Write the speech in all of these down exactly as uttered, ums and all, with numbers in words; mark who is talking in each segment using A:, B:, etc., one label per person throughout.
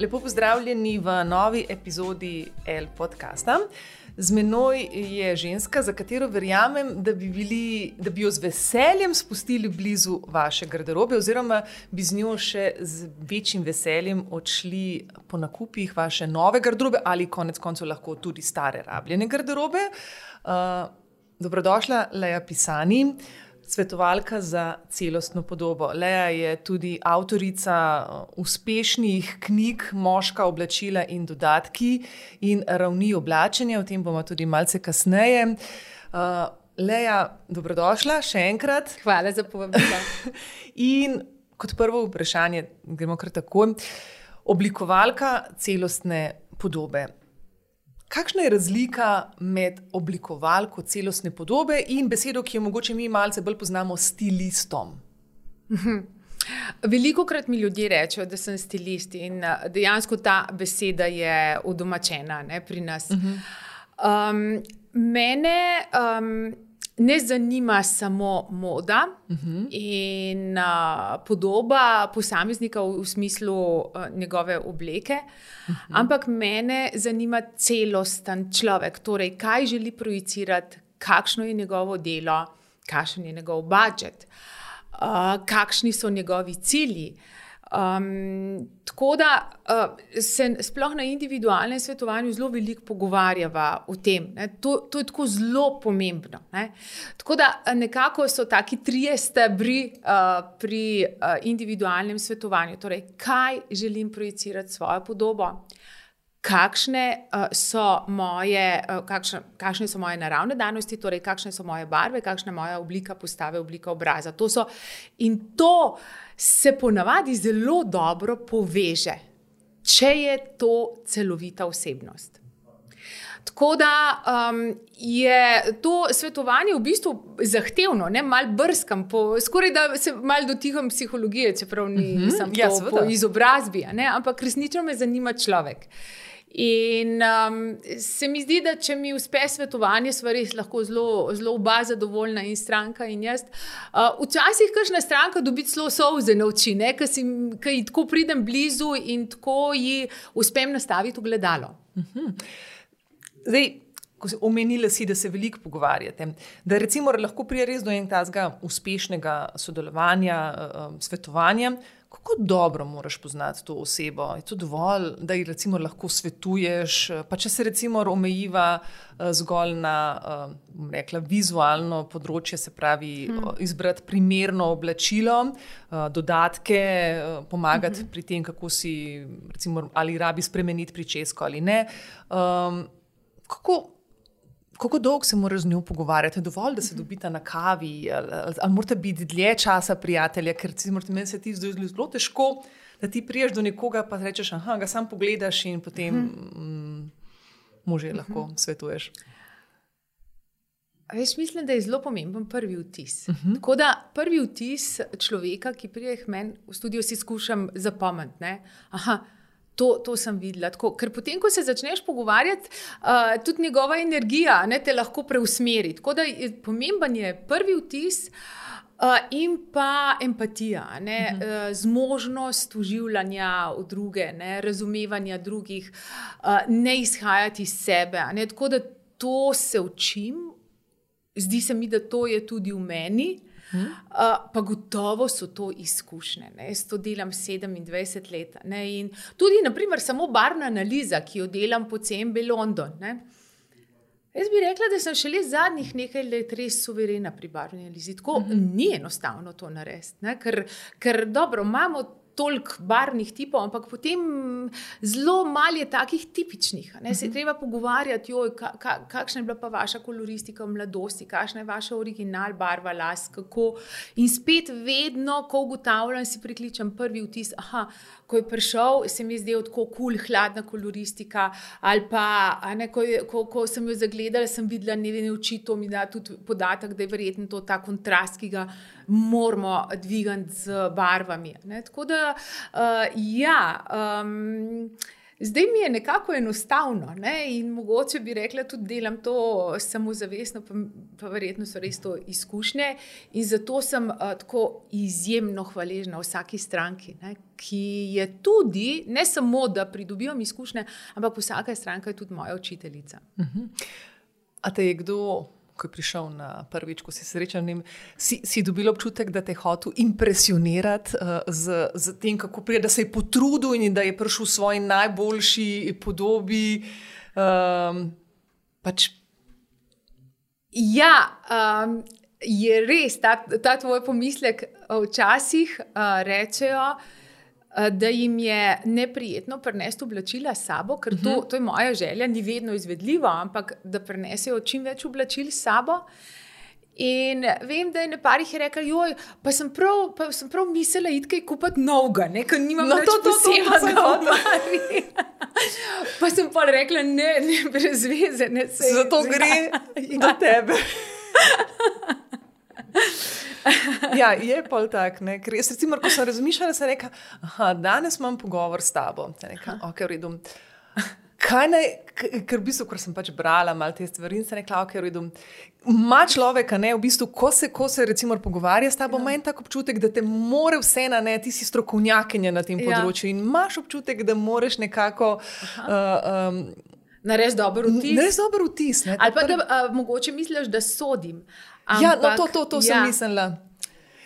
A: Lepo pozdravljeni v novi epizodi El podcasta. Z menoj je ženska, za katero verjamem, da bi, bili, da bi jo z veseljem spustili blizu vaše garderobe oziroma bi z njo še z večjim veseljem odšli po nakupih vaše nove garderobe ali konec koncev lahko tudi stare rabljene garderobe. Uh, dobrodošla, Lea Pisani, svetovalka za celostno podobo. Lea je tudi avtorica uspešnih knjig Moška oblačila in dodatki in ravni oblačenja, o tem bomo tudi malce kasneje. Uh, Lea, dobrodošla še enkrat.
B: Hvala za povabilo.
A: In kot prvo vprašanje, gremo kar takoj, oblikovalka celostne podobe. Kakšna je razlika med oblikovalko celostne podobe in besedo, ki jo mogoče mi malce bolj poznamo, stilistom?
B: Velikokrat mi ljudje rečejo, da sem stilist in dejansko ta beseda je udomačena, ne, pri nas. Um, mene um, ne zanima samo moda uh-huh. in uh, podoba posameznika v, v smislu uh, njegove obleke, uh-huh. ampak mene zanima celosten človek, torej kaj želi projicirati, kakšno je njegovo delo, kakšen je njegov budžet, uh, kakšni so njegovi cilji. Um, tako da uh, se sploh na individualnem svetovanju zelo veliko pogovarjava o tem. Ne? To, to je tako zelo pomembno. Ne? Tako da nekako so taki trije stebri uh, pri uh, individualnem svetovanju. Torej, kaj želim projicirati svojo podobo? Kakšne, uh, so moje, uh, kakšne, kakšne so moje naravne danosti, torej kakšne so moje barve, kakšna je moja oblika postave, oblika obraza. To so, in to se ponavadi zelo dobro poveže, če je to celovita osebnost. Tako da um, je to svetovanje v bistvu zahtevno, ne, malo brskam, po, skoraj da se malo dotikam psihologije, čeprav nisem mm-hmm, ja, to po izobrazbi, ne, ampak resnično me zanima človek. In um, se mi zdi, da če mi uspe svetovanje, sva res lahko zelo, zelo oba zadovoljna in stranka in jaz. Uh, včasih kakšna stranka dobi celo solze na oči, ker ji tako pridem blizu in tako ji uspem nastaviti v gledalo.
A: Uh-huh. Zdaj, ko si omenila si, da se veliko pogovarjate, da recimo lahko prije res do enega tazga uspešnega sodelovanja, um, svetovanja, kako dobro moraš poznati to osebo? Je to dovolj, da ji recimo lahko svetuješ, pa če se recimo omejiva uh, zgolj na, uh, bom rekla, vizualno področje, se pravi hmm. izbrati primerno oblačilo, uh, dodatke, uh, pomagati hmm. pri tem, kako si recimo ali rabi spremeniti pričesko ali ne. Um, kako Kako dolgo se moraš z njo pogovarjati? Je dovolj, da se dobita na kavi? Ali, ali, ali morate biti dlje časa prijatelja? Ker meni se ti zdi zelo težko, da ti priješ do nekoga pa rečeš, aha, ga sam pogledaš in potem mm, mu že lahko svetuješ.
B: Veš, mislim, da je zelo pomemben prvi vtis. Uh-huh. Tako da prvi vtis človeka, ki prije k meni v studio, si skušam zapomniti. Ne? Aha, To, to sem videla. Tako, ker potem, ko se začneš pogovarjati, uh, tudi njegova energija ne, te lahko preusmeri. Tako da je, pomemben je prvi vtis uh, in pa empatija, ne, uh-huh. uh, zmožnost uživanja v druge, ne, razumevanja drugih, uh, ne izhajati iz sebe. Ne, tako da to se učim. Zdi se mi, da to je tudi v meni. Hmm. Uh, pa gotovo so to izkušnje. Ne? Jaz to delam sedemindvajset let. Ne? In tudi, naprimer, samo barvna analiza, ki jo delam po C M B London. Ne? Jaz bi rekla, da sem šele zadnjih nekaj let res suverena pri barvni analizi. Tako hmm. ni enostavno to narediti. Ne? Ker, ker dobro, imamo toliko barvnih tipov, ampak potem zelo malo je takih tipičnih. Ne? Se je treba pogovarjati, joj, ka, ka, kakšna je bila pa vaša koloristika v mladosti, kakšna je vaša original barva las, kako. In spet vedno, ko ugotavljam, si prikličem prvi vtis, aha, ko je prišel, se mi je zdel tako kul, hladna koloristika, ali pa, ne, ko, je, ko, ko sem jo zagledala, sem videla njene oči, to mi da tudi podatek, da je verjetno to ta kontrast, ki ga moramo dvigati z barvami. Ne? Tako da, uh, ja, um, Zdaj mi je nekako enostavno, ne? In mogoče bi rekla, tudi delam to samozavestno, pa, pa verjetno so res to izkušnje. In zato sem uh, tako izjemno hvaležna vsaki stranki, ne? Ki je tudi, ne samo, da pridobivam izkušnje, ampak vsaka stranka je tudi moja učiteljica.
A: Uh-huh. A te je kdo, ko je prišel na prvič, ko si srečal, si, si dobil občutek, da te je hotel impresionirati uh, z, z tem, kako prije, da se je potrudil in da je prišel v svoji najboljši podobi? Um, pač...
B: Ja, um, je res, ta, ta tvoj pomislek včasih uh, rečejo, da jim je neprijetno prinesti oblačila s sabo, ker to, to je moja želja, ni vedno izvedljivo, ampak da prinesejo čim več oblačil s sabo. In vem, da je nekaj jih rekel, joj, pa sem prav, pa sem prav mislila iti kaj kupiti novega, ne, ker nimam
A: no,
B: več posebnega
A: v
B: omari. Pa sem pa rekla, ne, ne, brez veze. Ne, se,
A: zato
B: se,
A: gre
B: ja.
A: do tebe. Ja, je pol tak, ne, ker jaz recimo, ko sem razmišljala, sem rekla, aha, danes imam pogovor s tabo. Sem rekla, ok, v redu. Kaj naj, ker v bistvu, ker sem pač brala malo te stvari in sem rekla, ok, v redu. Ma človeka, ne, v bistvu, ko se, ko se recimo pogovarja s tabo, ima en tak občutek, da te more vse na ne, ti si strokovnjakinja na tem področju, ja. In imaš občutek, da moreš nekako... Uh, um,
B: Narediti dober vtis.
A: Narediti dober vtis, ne.
B: Ali pa da uh, mogoče misliš, da sodim. Ampak,
A: ja, no to, to, to
B: ja.
A: sem mislila.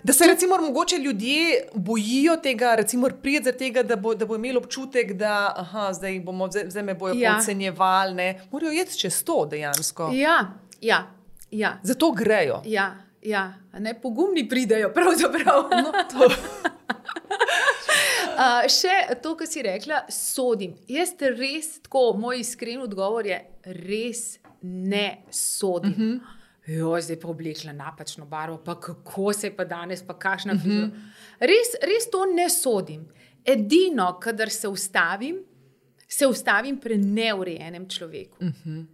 A: Da se recimo mogoče ljudje bojijo tega, recimo prijeti za tega, da bo, da bo imel občutek, da aha, zdaj, bomo, zdaj me bojo ja. Podcenjevali, ne. Morajo jeti čez to dejansko.
B: Ja, ja, ja.
A: Zato grejo.
B: Ja, ja. Ne, pogumni pridejo, pravzaprav.
A: No, to.
B: uh, še to, kar si rekla, sodim. Jaz res tako, moj iskren odgovor je, res ne sodim. Uh-huh. Jo, zdaj pa oblekla napačno barvo, pa kako se je pa danes, pa kakšna frizura. Uh-huh. Res, res to ne sodim. Edino, kadar se ustavim, se ustavim pri neurejenem človeku. Uh-huh.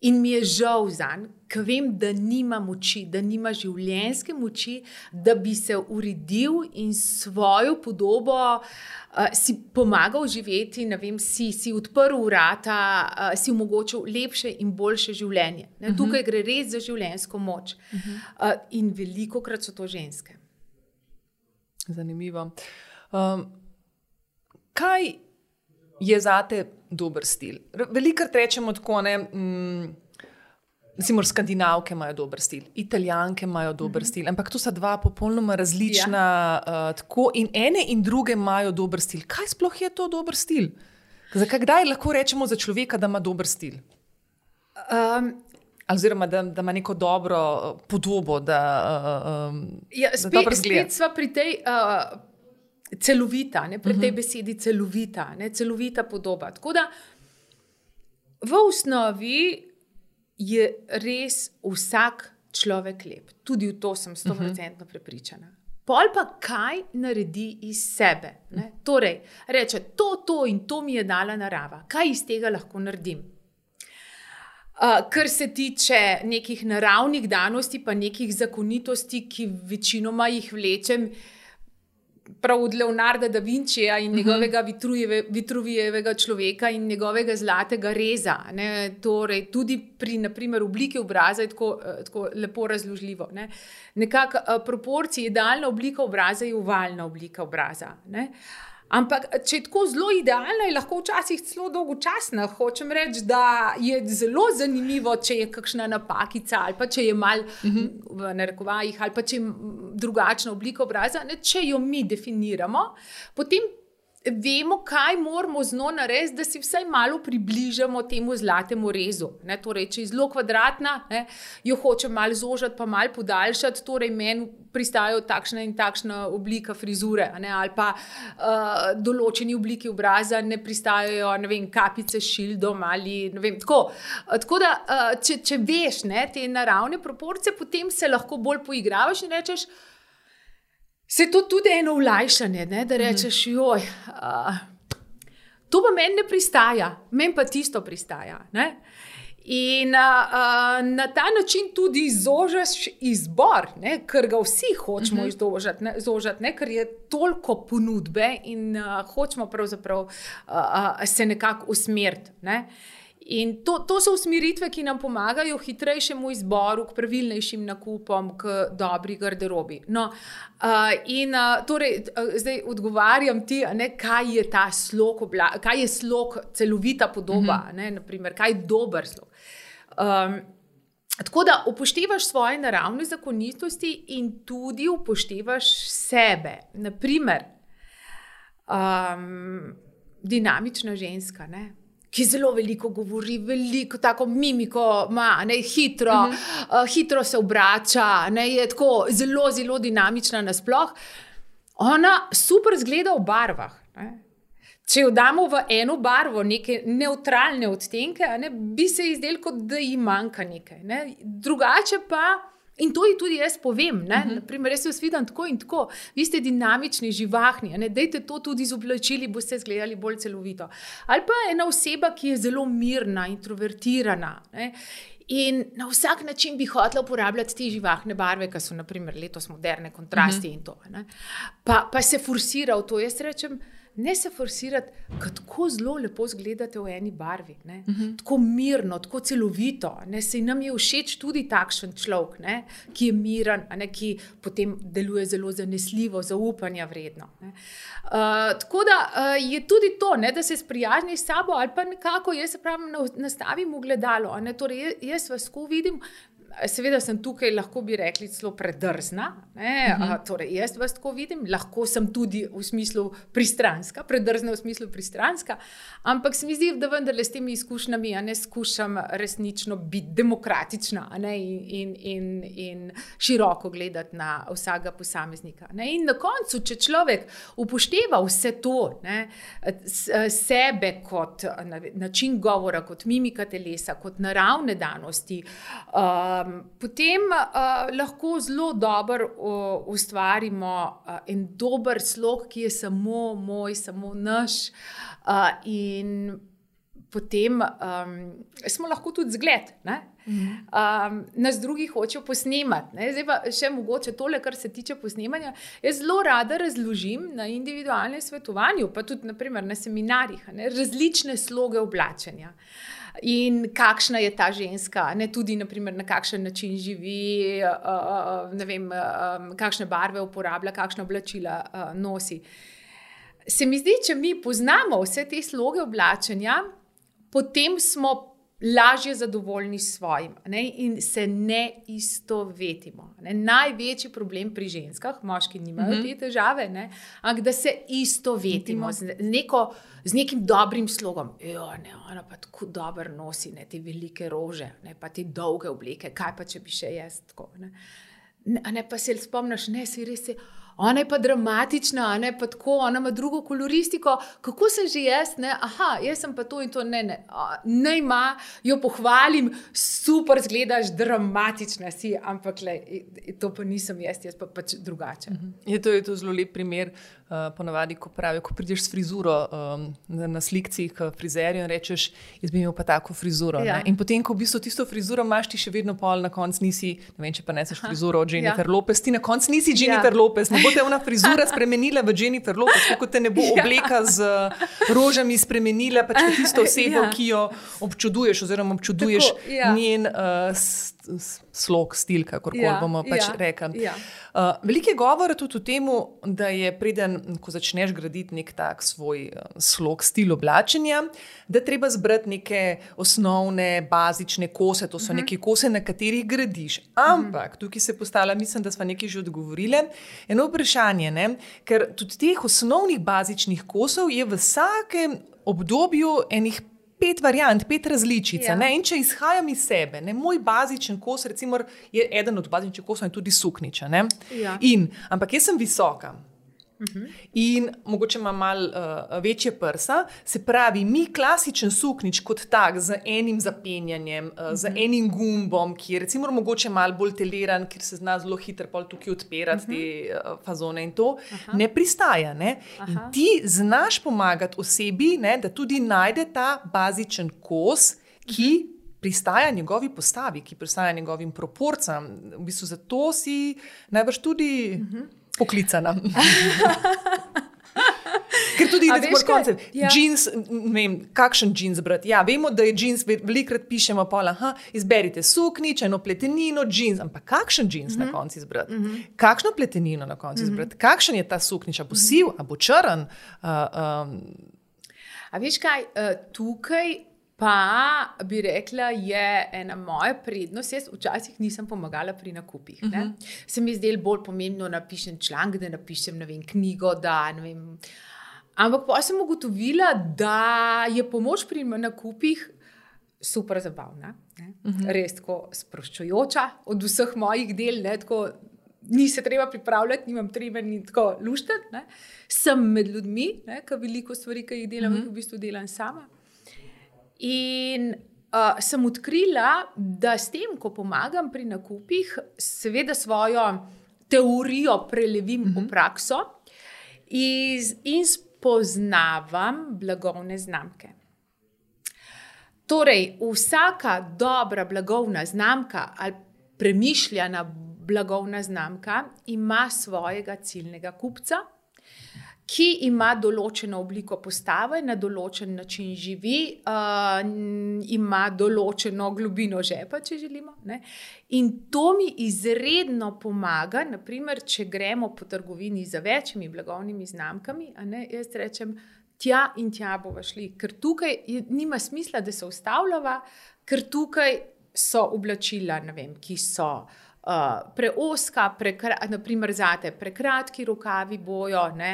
B: In mi je žal zanj, ker vem, da nima moči, da nima življenjske moči, da bi se uredil in svojo podobo uh, si pomagal živeti, ne vem, si, si odprl vrata, uh, si omogočil lepše in boljše življenje. Ne? Uh-huh. Tukaj gre res za življenjsko moč. Uh-huh. Uh, in velikokrat so to ženske.
A: Zanimivo. Um, kaj je zate dober stil? Velikokrat rečemo tako, ne, mm, recimo skandinavke imajo dober stil, italijanke imajo dober mm-hmm. stil, ampak to sta dva popolnoma različna, ja. uh, tako in ene in druge imajo dober stil. Kaj sploh je to dober stil? Zakaj kdaj lahko rečemo za človeka, da ima dober stil? Um, Oziroma, da, da ima neko dobro podobo, da, uh, um,
B: ja, spet, da dobro zgleda. Spet sva pri tej... Uh, celovita, ne, pri tej besedi celovita, ne, celovita podoba. Tako da v osnovi je res vsak človek lep. Tudi v to sem sto procentno prepričana. Pol pa kaj naredi iz sebe. Ne? Torej, reče, to, to in to mi je dala narava. Kaj iz tega lahko naredim? Uh, kar se tiče nekih naravnih danosti, pa nekih zakonitosti, ki večinoma jih vlečem, prav od Leonarda da Vincija in njegovega Vitruvijeve, Vitruvijevega človeka in njegovega zlatega reza. Ne? Torej, tudi pri, na primer, obliki obraza je tako, tako lepo razložljivo. Ne? Nekako proporcije, idealna oblika obraza je ovalna oblika obraza. Ne? Ampak, če je tako zelo idealna, je lahko včasih celo dolgočasna. Hočem reči, da je zelo zanimivo, če je kakšna napakica ali pa če je mal uh-huh. v narekovajih ali pa če je drugačna oblika obraza. Ne, če jo mi definiramo, potem vemo, kaj moramo z njo narediti, da si vsaj malo približamo temu zlatemu rezu. Ne, torej, če je zelo kvadratna, ne, jo hočem malo zožati pa malo podaljšati, torej meni pristajajo takšna in takšna oblika frizure, ne, ali pa uh, določeni obliki obraza ne pristajajo, ne vem, kapice s šildom ali ne vem, tako. Tako da, uh, če, če veš, ne, te naravne proporcije, potem se lahko bolj poigravaš in rečeš, se to tudi eno olajšanje, ne, da rečeš, joj, uh, to pa meni ne pristaja, meni pa tisto pristaja, ne. In uh, na ta način tudi zožaš izbor, ne, ker ga vsi hočemo uh -huh. izdožati, ne, zožati, ne, ker je toliko ponudbe in uh, hočemo pravzaprav uh, uh, se nekako usmeriti. Ne. In to, to so usmeritve, ki nam pomagajo hitrejšemu izboru, k pravilnejšim nakupom, k dobri garderobi. No, uh, in uh, torej, uh, zdaj odgovarjam ti, ne, kaj je ta slog, obla- kaj je slog, celovita podoba, mm-hmm. ne, naprimer, kaj je dober slog. Um, tako da upoštevaš svoje naravne zakonitosti in tudi upoštevaš sebe. Naprimer, um, dinamična ženska, ne, ki zelo veliko govori, veliko tako mimiko ima, ne, hitro, uh-huh. uh, hitro se obrača, ne, je tako zelo, zelo dinamična nasploh. Ona super zgleda v barvah. Ne. Če jo damo v eno barvo, neke nevtralne odtenke, ne, bi se izdel, kot da ji manjka nekaj. Ne. Drugače pa, in to ji tudi jaz povem, ne, uh-huh. naprimer, jaz vas vidim tako in tako, vi ste dinamični, živahni, ne, dajte to tudi z oblačili, boste izgledali bolj celovito. Ali pa ena oseba, ki je zelo mirna, introvertirana, ne, in na vsak način bi hotela uporabljati te živahne barve, ki so naprimer letos moderne, kontrasti uh-huh. in to. Ne, pa, pa se forsira v to, jaz rečem, ne se forsirati, kako zelo lepo zgledate v eni barvi. Ne? Uh-huh. Tako mirno, tako celovito. Ne? Sej nam je všeč tudi takšen človek, ne? Ki je miren, ne? Ki potem deluje zelo zanesljivo, zaupanja vredno. Ne? Uh, tako da uh, je tudi to, ne? Da se sprijazni s sabo ali pa nekako, jaz se pravim, nastavim v gledalo. Ne? Torej, jaz vas ko vidim, seveda sem tukaj, lahko bi rekli, celo predrzna. Ne? Uh-huh. Torej, jaz vas tako vidim, lahko sem tudi v smislu pristranska, predrzna v smislu pristranska, ampak se mi zdi, da vendarle s temi izkušnjami, a ne skušam resnično biti demokratična, a ne, in, in, in, in široko gledati na vsakega posameznika. Ne? In na koncu, če človek upošteva vse to, ne, sebe kot način govora, kot mimika telesa, kot naravne danosti, uh, Um, potem uh, lahko zelo dobro uh, ustvarimo uh, en dober slog, ki je samo moj, samo naš, uh, in potem um, smo lahko tudi zgled. Ne? Mm-hmm. Um, nas drugi hočejo posnemati. Ne? Zdaj pa še mogoče tole, kar se tiče posnemanja. Jaz zelo rada razložim na individualnem svetovanju, pa tudi naprimer na seminarjih, ne? Različne sloge oblačenja. In kakšna je ta ženska, ne, tudi naprimer, na kakšen način živi, uh, ne vem, uh, kakšne barve uporablja, kakšna oblačila uh, nosi. Se mi zdi, če mi poznamo vse te sloge oblačenja, potem smo lažje zadovoljni s svojim, ne, in se ne istovetimo. Ne. Največji problem pri ženskah, moški nimajo mm-hmm. te težave, ne, ampak da se istovetimo z, neko, z nekim dobrim slogom. Jo, ne, ona pa tako dobro nosi, ne, te velike rože, ne, pa te dolge obleke, kaj pa če bi še jaz tako. Ne. Ne, ne, pa se spomniš, ne, si res je, ona je pa dramatična, ne, pa tako, ona ima drugo koloristiko, kako sem že jaz, ne, aha, jaz sem pa to in to, ne, ne, ne ima, jo pohvalim, super zgledaš, dramatična si, ampak le, to pa nisem jaz, jaz pa pač drugače.
A: Je to, je to zelo lep primer, uh, ponavadi, ko pravijo, ko prideš s frizuro um, na, na slikci k frizerju in rečeš, jaz bi imel pa tako frizuro, ja. Ne, in potem, ko v bistvu tisto frizuro imaš, ti še vedno pol na konc nisi, ne vem, če pa neseš frizuro od Jennifer ja. Lopez, ti na konc nisi Jennifer ja. Lopez, ne bo te ona frizura spremenila v Jennifer Lopez, kako te ne bo obleka z rožami spremenila, pač tisto osebo, ja. Ki jo občuduješ oziroma občuduješ tako, ja. Njen uh, s, s, slog, stil, kakorkoli ja. Bomo pač ja. Rekli. Ja. Uh, veliko je govora tudi o tem, da je preden, ko začneš graditi nek tak svoj uh, slog, stil oblačenja, da treba zbrati neke osnovne, bazične kose, to so uh-huh. neke kose, na katerih gradiš. Ampak, uh-huh. tukaj se postavlja, mislim, da smo nekaj že odgovorile, eno vprašanje, ne? Ker tudi teh osnovnih bazičnih kosov je v vsakem obdobju enih pet variant, pet različic. Ja. In če izhajam iz sebe, ne, moj bazičen kos, recimo, je eden od bazičnih kosov in tudi sukniča. Ne? Ja. In, ampak jaz sem visoka. Uh-huh. In mogoče ima malo uh, večje prsa, se pravi, mi klasičen suknič kot tak z enim zapenjanjem, uh, uh-huh. z enim gumbom, ki je recimo mogoče malo bolj teleran, ker se zna zelo hitro pol tukaj odpirati uh-huh. te uh, fazone in to, uh-huh. ne pristaja. Ne? In ti znaš pomagati osebi, ne, da tudi najde ta bazičen kos, ki uh-huh. pristaja njegovi postavi, ki pristaja njegovim proporcijam. V bistvu zato si najbrž tudi uh-huh. poklicana. Ker tudi recimo koncept, ja. Džins, ne vem, kakšen džins brati. Ja, vemo, da je džins, velikrat pišemo pol, aha, izberite suknič, eno pletenino, džins, ampak kakšen džins mm-hmm. na koncu izbrati? Mm-hmm. Kakšno pletenino na koncu mm-hmm. izbrati? Kakšen je ta suknič? A bo siv, a bo črn? Uh, um.
B: A veš kaj, tukaj pa bi rekla, je ena moja prednost. Jaz včasih nisem pomagala pri nakupih. Ne? Mm-hmm. Se mi zdelo bolj pomembno, napišem članek, da napišem, ne vem, knjigo, da ne vem. Ampak pa sem ugotovila, da je pomoč pri nakupih super zabavna, ne? Uh-huh. Res tako sproščujoča od vseh mojih del, ne? Tako ni se treba pripravljati, nimam treba ni tako luštati, ne? Sem med ljudmi, ne? Ker veliko stvari, ki jih delam, uh-huh. v bistvu delam sama. In uh, sem odkrila, da s tem, ko pomagam pri nakupih, seveda svojo teorijo prelevim uh-huh. v prakso iz, in poznavam blagovne znamke. Torej, vsaka dobra blagovna znamka ali premišljena blagovna znamka ima svojega ciljnega kupca, ki ima določeno obliko postave, na določen način živi, uh, ima določeno globino žepa, če želimo. Ne? In to mi izredno pomaga, naprimer, če gremo po trgovini za večjimi blagovnimi znamkami, a ne, jaz rečem, tja in tja bova šli, ker tukaj je, nima smisla, da se ustavljava, ker tukaj so oblačila, ne vem, ki so Uh, preoska, prekra, naprimer zate, prekratki rokavi bojo, ne,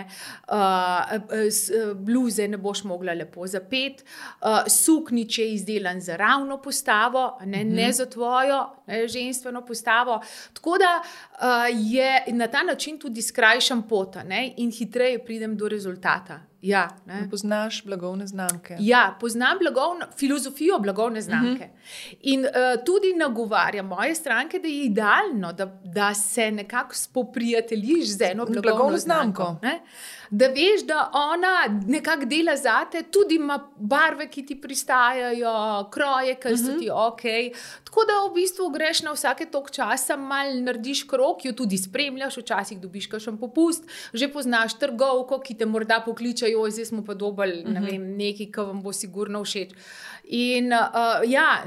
B: uh, s, bluze ne boš mogla lepo zapeti, uh, suknič je izdelan za ravno postavo, ne, mm-hmm. ne za tvojo ne, ženstveno postavo. Tako da uh, je na ta način tudi skrajšam pota, ne, in hitreje pridem do rezultata. Ja, ne.
A: Poznaš blagovne znamke.
B: Ja, poznam blagovno, filozofijo blagovne znamke. Uh-huh. In uh, tudi nagovarjam moje stranke, da je idealno, da, da se nekako spoprijateljiš z eno blagovno, blagovno znamko. znamko da veš, da ona nekako dela zate, tudi ima barve, ki ti pristajajo, kroje, ki so ti ok. Tako da v bistvu greš na vsake tok časa, mal narediš krok, jo tudi spremljaš, včasih dobiš kakšen popust, že poznaš trgovko, ki te morda pokliče, joj, zdaj smo pa dobili, ne vem, nekaj, ki vam bo sigurno všeč. In, uh, ja,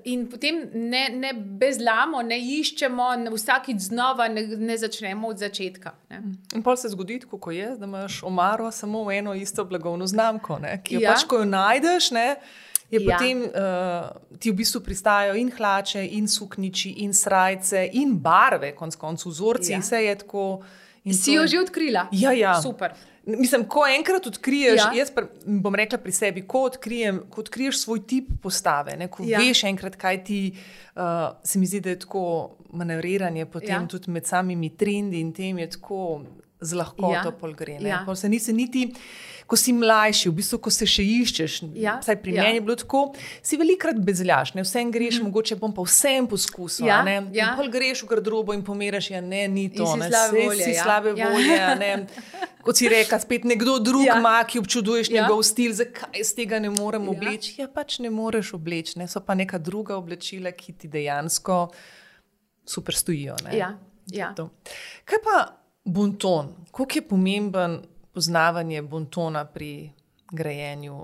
B: in potem ne, ne bezlamo, ne iščemo, ne vsakič znova ne, ne začnemo od začetka. Ne.
A: In pol se zgodi, kako je, da imaš omaro samo v eno isto blagovno znamko, ne, ki jo ja. pač, ko jo najdeš, ne, je ja. potem uh, ti v bistvu pristajajo in hlače, in sukniči, in srajce, in barve, konc koncu vzorci, ja. in vse je tako.
B: Si jo že odkrila?
A: Ja, ja.
B: Super.
A: Mislim, ko enkrat odkriješ,
B: ja.
A: jaz bom rekla pri sebi, ko, odkrijem, ko odkriješ svoj tip postave, ne, ko ja. veš enkrat, kaj ti, uh, se mi zdi, da je tako manevriranje potem ja. tudi med samimi trendi in tem je tako z lahkoto ja. pol gre. Ja. Pol se nisi niti, ko si mlajši, v bistvu, ko se še iščeš,
B: ja.
A: vsaj pri ja. meni je bilo tako, si velikrat bezljaš, ne, vsem greš, mm. mogoče bom pa vsem poskusil,
B: ja.
A: ne,
B: ja.
A: in pol greš v garderobo in pomeraš, ja, ne, ni to,
B: in si
A: ne,
B: slabe volje,
A: si
B: ja.
A: slabe
B: ja.
A: volje, ne, kot si reka, spet nekdo drug
B: ja.
A: ima, ki občuduješ ja. njegov stil, zakaj z tega ne morem
B: ja.
A: obleči? Ja, pač ne moreš obleči, ne? So pa neka druga oblečila, ki ti dejansko super stojijo. Ne?
B: Ja. Ja.
A: Kaj pa bonton? Koliko je pomemben poznavanje bontona pri grajenju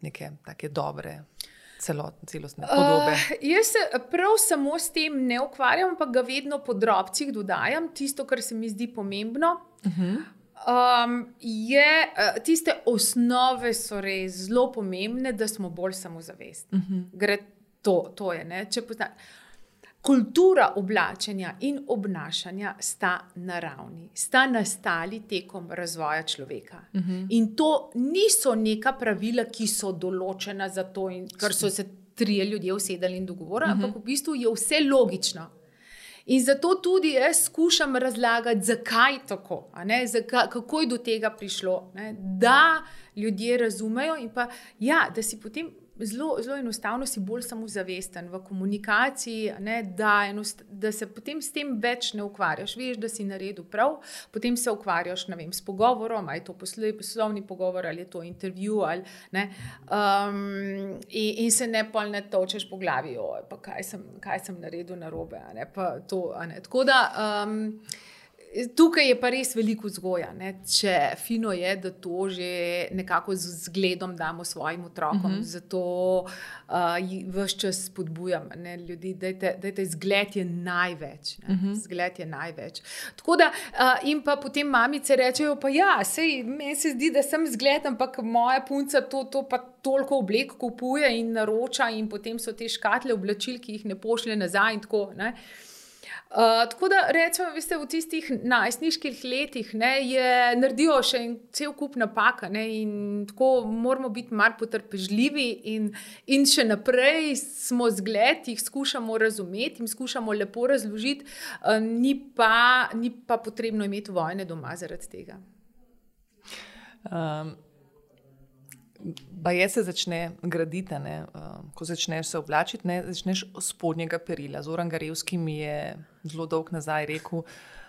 A: neke take dobre celotne, celostne podobe?
B: Uh, jaz se prav samo s tem ne ukvarjam, pa ga vedno po drobcih dodajam, tisto, kar se mi zdi pomembno. Uh-huh. Um, je, tiste osnove so res zelo pomembne, da smo bolj samozavestni. Uh-huh. Gre to, to je, ne? Če pozna... Kultura oblačenja in obnašanja sta naravni, sta nastali tekom razvoja človeka. Uh-huh. In to niso neka pravila, ki so določena za to, in, ker so se trije ljudje usedali in dogovorili, uh-huh. ampak v bistvu je vse logično. In zato tudi jaz skušam razlagati, zakaj tako, a ne? Zakaj, kako je do tega prišlo, ne? Da ljudje razumejo in pa, ja, da si potem zelo, zelo enostavno si bolj samozavesten v komunikaciji, ne, da, enost, da se potem s tem več ne ukvarjaš. Veš, da si naredil prav, potem se ukvarjaš, ne vem, s pogovorom, ali je to poslovni pogovor, ali je to intervju, ali, ne, um, in, in se ne pol ne točeš po glavi, oj, pa kaj sem, kaj sem naredil narobe, a ne, pa to, a ne. Tako da, um, tukaj je pa res veliko vzgoja, ne? Če fino je, da to že nekako z zgledom damo svojim otrokom, uh-huh. zato uh, vse čas spodbujam, ne, ljudi, dajte, dajte, zgled je največ, ne? Uh-huh. Zgled je največ. Tako da, uh, in pa potem mamice rečejo, pa ja, sej, meni se zdi, da sem zgled, ampak moja punca to, to pa toliko oblek kupuje in naroča in potem so te škatle oblačil, ki jih ne pošlje nazaj in tako, ne. Uh, tako da rečemo, veste, v tistih najstniških letih, ne, je, naredijo še en cel kup napaka, ne, in tako moramo biti mar potrpežljivi in, in še naprej smo zgled, jih skušamo razumeti, jim skušamo lepo razložiti, uh, ni, pa, ni pa potrebno imeti vojne doma zaradi tega.
A: Um. Baje se začne graditi, ne, ko začneš se oblačiti, ne, začneš spodnjega perila. Zoran Garevski mi je zelo dolgo nazaj rekel,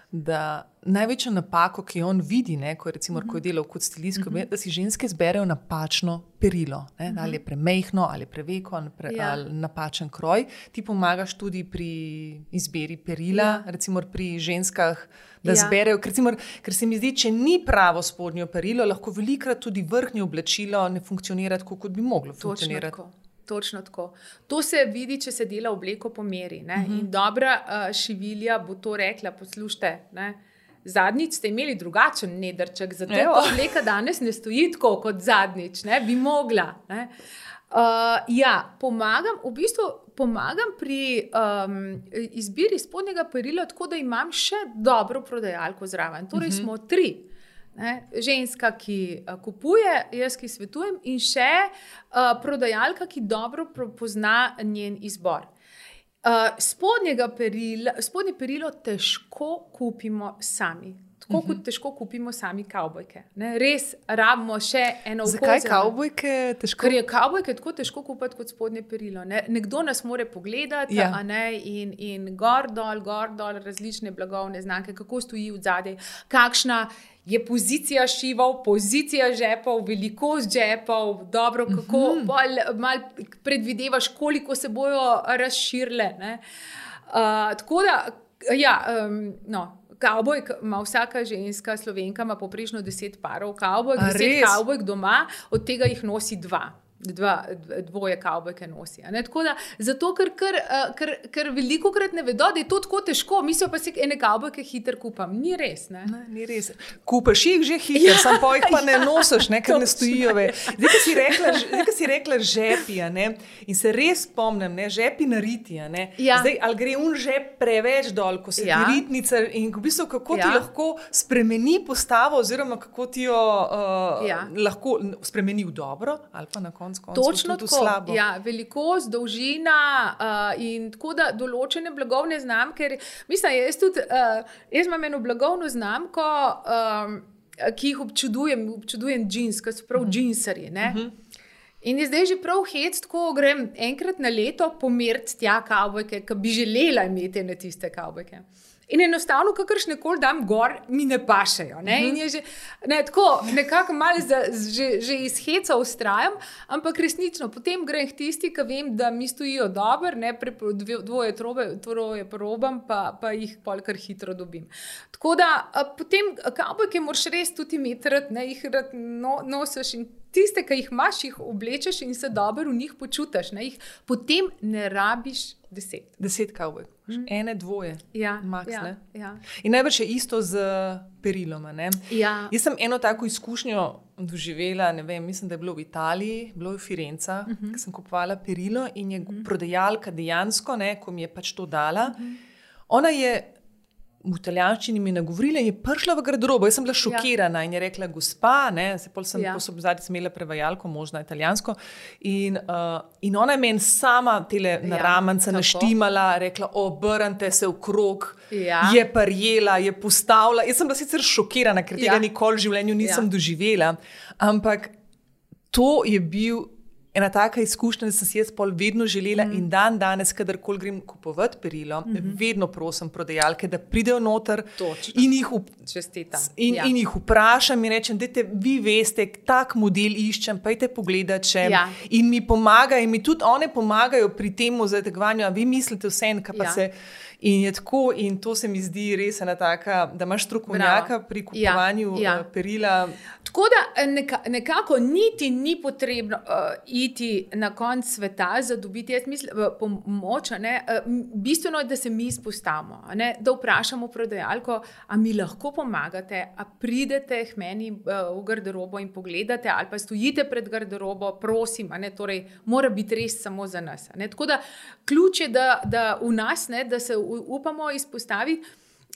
A: da največja napako, ki jo on vidi, ne, ko, je recimo, ko je delal kot stilist, mm-hmm. da si ženske zberejo napačno perilo. Ne, mm-hmm. Ali je premejhno, ali preveko, ali, pre, ja. ali napačen kroj. Ti pomagaš tudi pri izbiri perila, ja. recimo pri ženskah, da ja. zberejo. Ker, recimo, ker se mi zdi, če ni pravo spodnjo perilo, lahko velikrat tudi vrhnje oblačilo ne funkcionira tako, kot bi moglo funkcionirati.
B: Točno tako. Točno tako. To se vidi, če se dela obleko po meri. Ne? Uh-huh. In dobra uh, šivilja bo to rekla, poslušajte, ne? Zadnjič ste imeli drugačen nedrček, zato ta obleka danes ne stoji tako kot zadnjič, ne? Bi mogla. Ne? Uh, ja, pomagam, v bistvu pomagam pri um, izbiri spodnjega perila, tako da imam še dobro prodajalko zraven. Torej uh-huh. smo tri. Ne, ženska, ki uh, kupuje, jaz, ki svetujem, in še uh, prodajalka, ki dobro pozna njen izbor. Uh, spodnjega perila, spodnje perilo težko kupimo sami. Tako uh-huh. kot težko kupimo sami kavbojke. Ne, res rabimo še eno oko.
A: Zakaj kavbojke težko?
B: Ker je kavbojke tako težko kupiti kot spodnje perilo. Ne? Nekdo nas more pogledati, ja. a ne, in, in gor dol, gor dol, različne blagovne znamke, kako stoji v zadej, kakšna je pozicija šivov, pozicija žepov, velikost žepov, dobro, kako uh-huh. bolj, mal predvidevaš, koliko se bojo razširile. Ne? Uh, tako da, ja, um, no, kavbojk ima vsaka ženska, Slovenka ima poprečno deset parov kavbojk, deset kavbojk doma, od tega jih nosi dva. Dva, dvoje kavbojke nosi. Ne? Tako da, zato, ker, ker, ker, ker veliko krat ne vedo, da je to tako težko, mislijo pa si ene kavbojke hiter kupam. Ni res, ne?
A: Ne, ni res. Kupaš jih že hiter, ja, sam pa jih pa ne nosiš, ne, ker ne stojijo. Zdaj, ko si rekla, zdaj, ko si rekla žepi, ne, in se res spomnim, ne, žepi na riti, ne.
B: Ja.
A: Zdaj, ali gre un žep preveč dol, ko se ja. ti ritnica in v bistvu, kako ja. ti lahko spremeni postavo, oziroma kako ti jo uh, ja. lahko spremeni v dobro, ali pa na koncu.
B: Točno tako, ja, velikost, dolžina uh, in tako da določene blagovne znamke, mislim, jaz tudi, uh, jaz imam eno blagovno znamko, um, ki jih občudujem, občudujem džins, ki so prav uh-huh. džinsarji, ne. Uh-huh. In je zdaj že prav hec, tako grem enkrat na leto pomeriti tja kavbojke, ki bi želela imeti na tiste kavbojke. In enostavno, kakršne koli dam gor, mi ne pašejo. Ne? In je že, ne, tako, nekako malo za, že, že iz heca ustrajam, ampak resnično, potem grem k tisti, ki vem, da mi stojijo dobro, ne, pre, dvoje trobe, troje probam, pa, pa jih pol kar hitro dobim. Tako da, potem kavbojke moraš res tudi imeti rad, ne, jih rad no, nosiš in tiste, ki jih imaš, jih oblečeš in se dobro v njih počutiš, ne, jih potem ne rabiš deset.
A: Deset kavbojk. Mm. Ene, dvoje.
B: Ja,
A: max,
B: ja,
A: ne?
B: Ja.
A: In najbrž je isto z periloma, ne?
B: Ja.
A: Jaz sem eno tako izkušnjo doživela, ne vem, mislim, da je bilo v Italiji, bilo je v Firenca, uh-huh. ko sem kupovala perilo in je uh-huh. prodajalka dejansko, ne, ko mi je pač to dala, uh-huh. ona je v italijanščini mi nagovorila in je prišla v garderobo. Jaz sem bila šokirana ja. in je rekla, gospa, ne, se pol sem ja. zadnji smela prevajalko, možno italijansko, in, uh, in ona je meni sama tele ja, naramance naštimala, rekla, obrnite se v krog, ja. je parjela, je postavila. Jaz sem bila sicer šokirana, ker tega ja. nikoli v življenju nisem ja. doživela, ampak to je bil ena taka izkušnja, da sem si jaz pol vedno želela mm. in dan danes, kadarkoli grem kupovati perilo, mm -hmm. vedno prosim prodajalke, da pridejo noter in jih, up, in, ja. in jih vprašam in rečem, dajte, vi veste, tak model iščem, pojďte pogledat še. Ja. In mi pomagajo, in mi tudi one pomagajo pri tem zategovanju, a vi mislite vse en, kaj pa ja. se... In je tako, in to se mi zdi res ena taka, da imaš strokovnjaka pri kupovanju ja, ja. perila.
B: Tako da neka, nekako niti ni potrebno uh, iti na konc sveta za dobiti, jaz mislim, pomoč, ne, uh, bistveno je, da se mi izpostavimo, ne, da vprašamo prodajalko, a mi lahko pomagate, a pridete k meni uh, v garderobo in pogledate, ali pa stojite pred garderobo, prosim, a ne, torej mora biti res samo za nas. Ne. Tako da ključ je, da, da v nas, ne, da se upamo izpostaviti.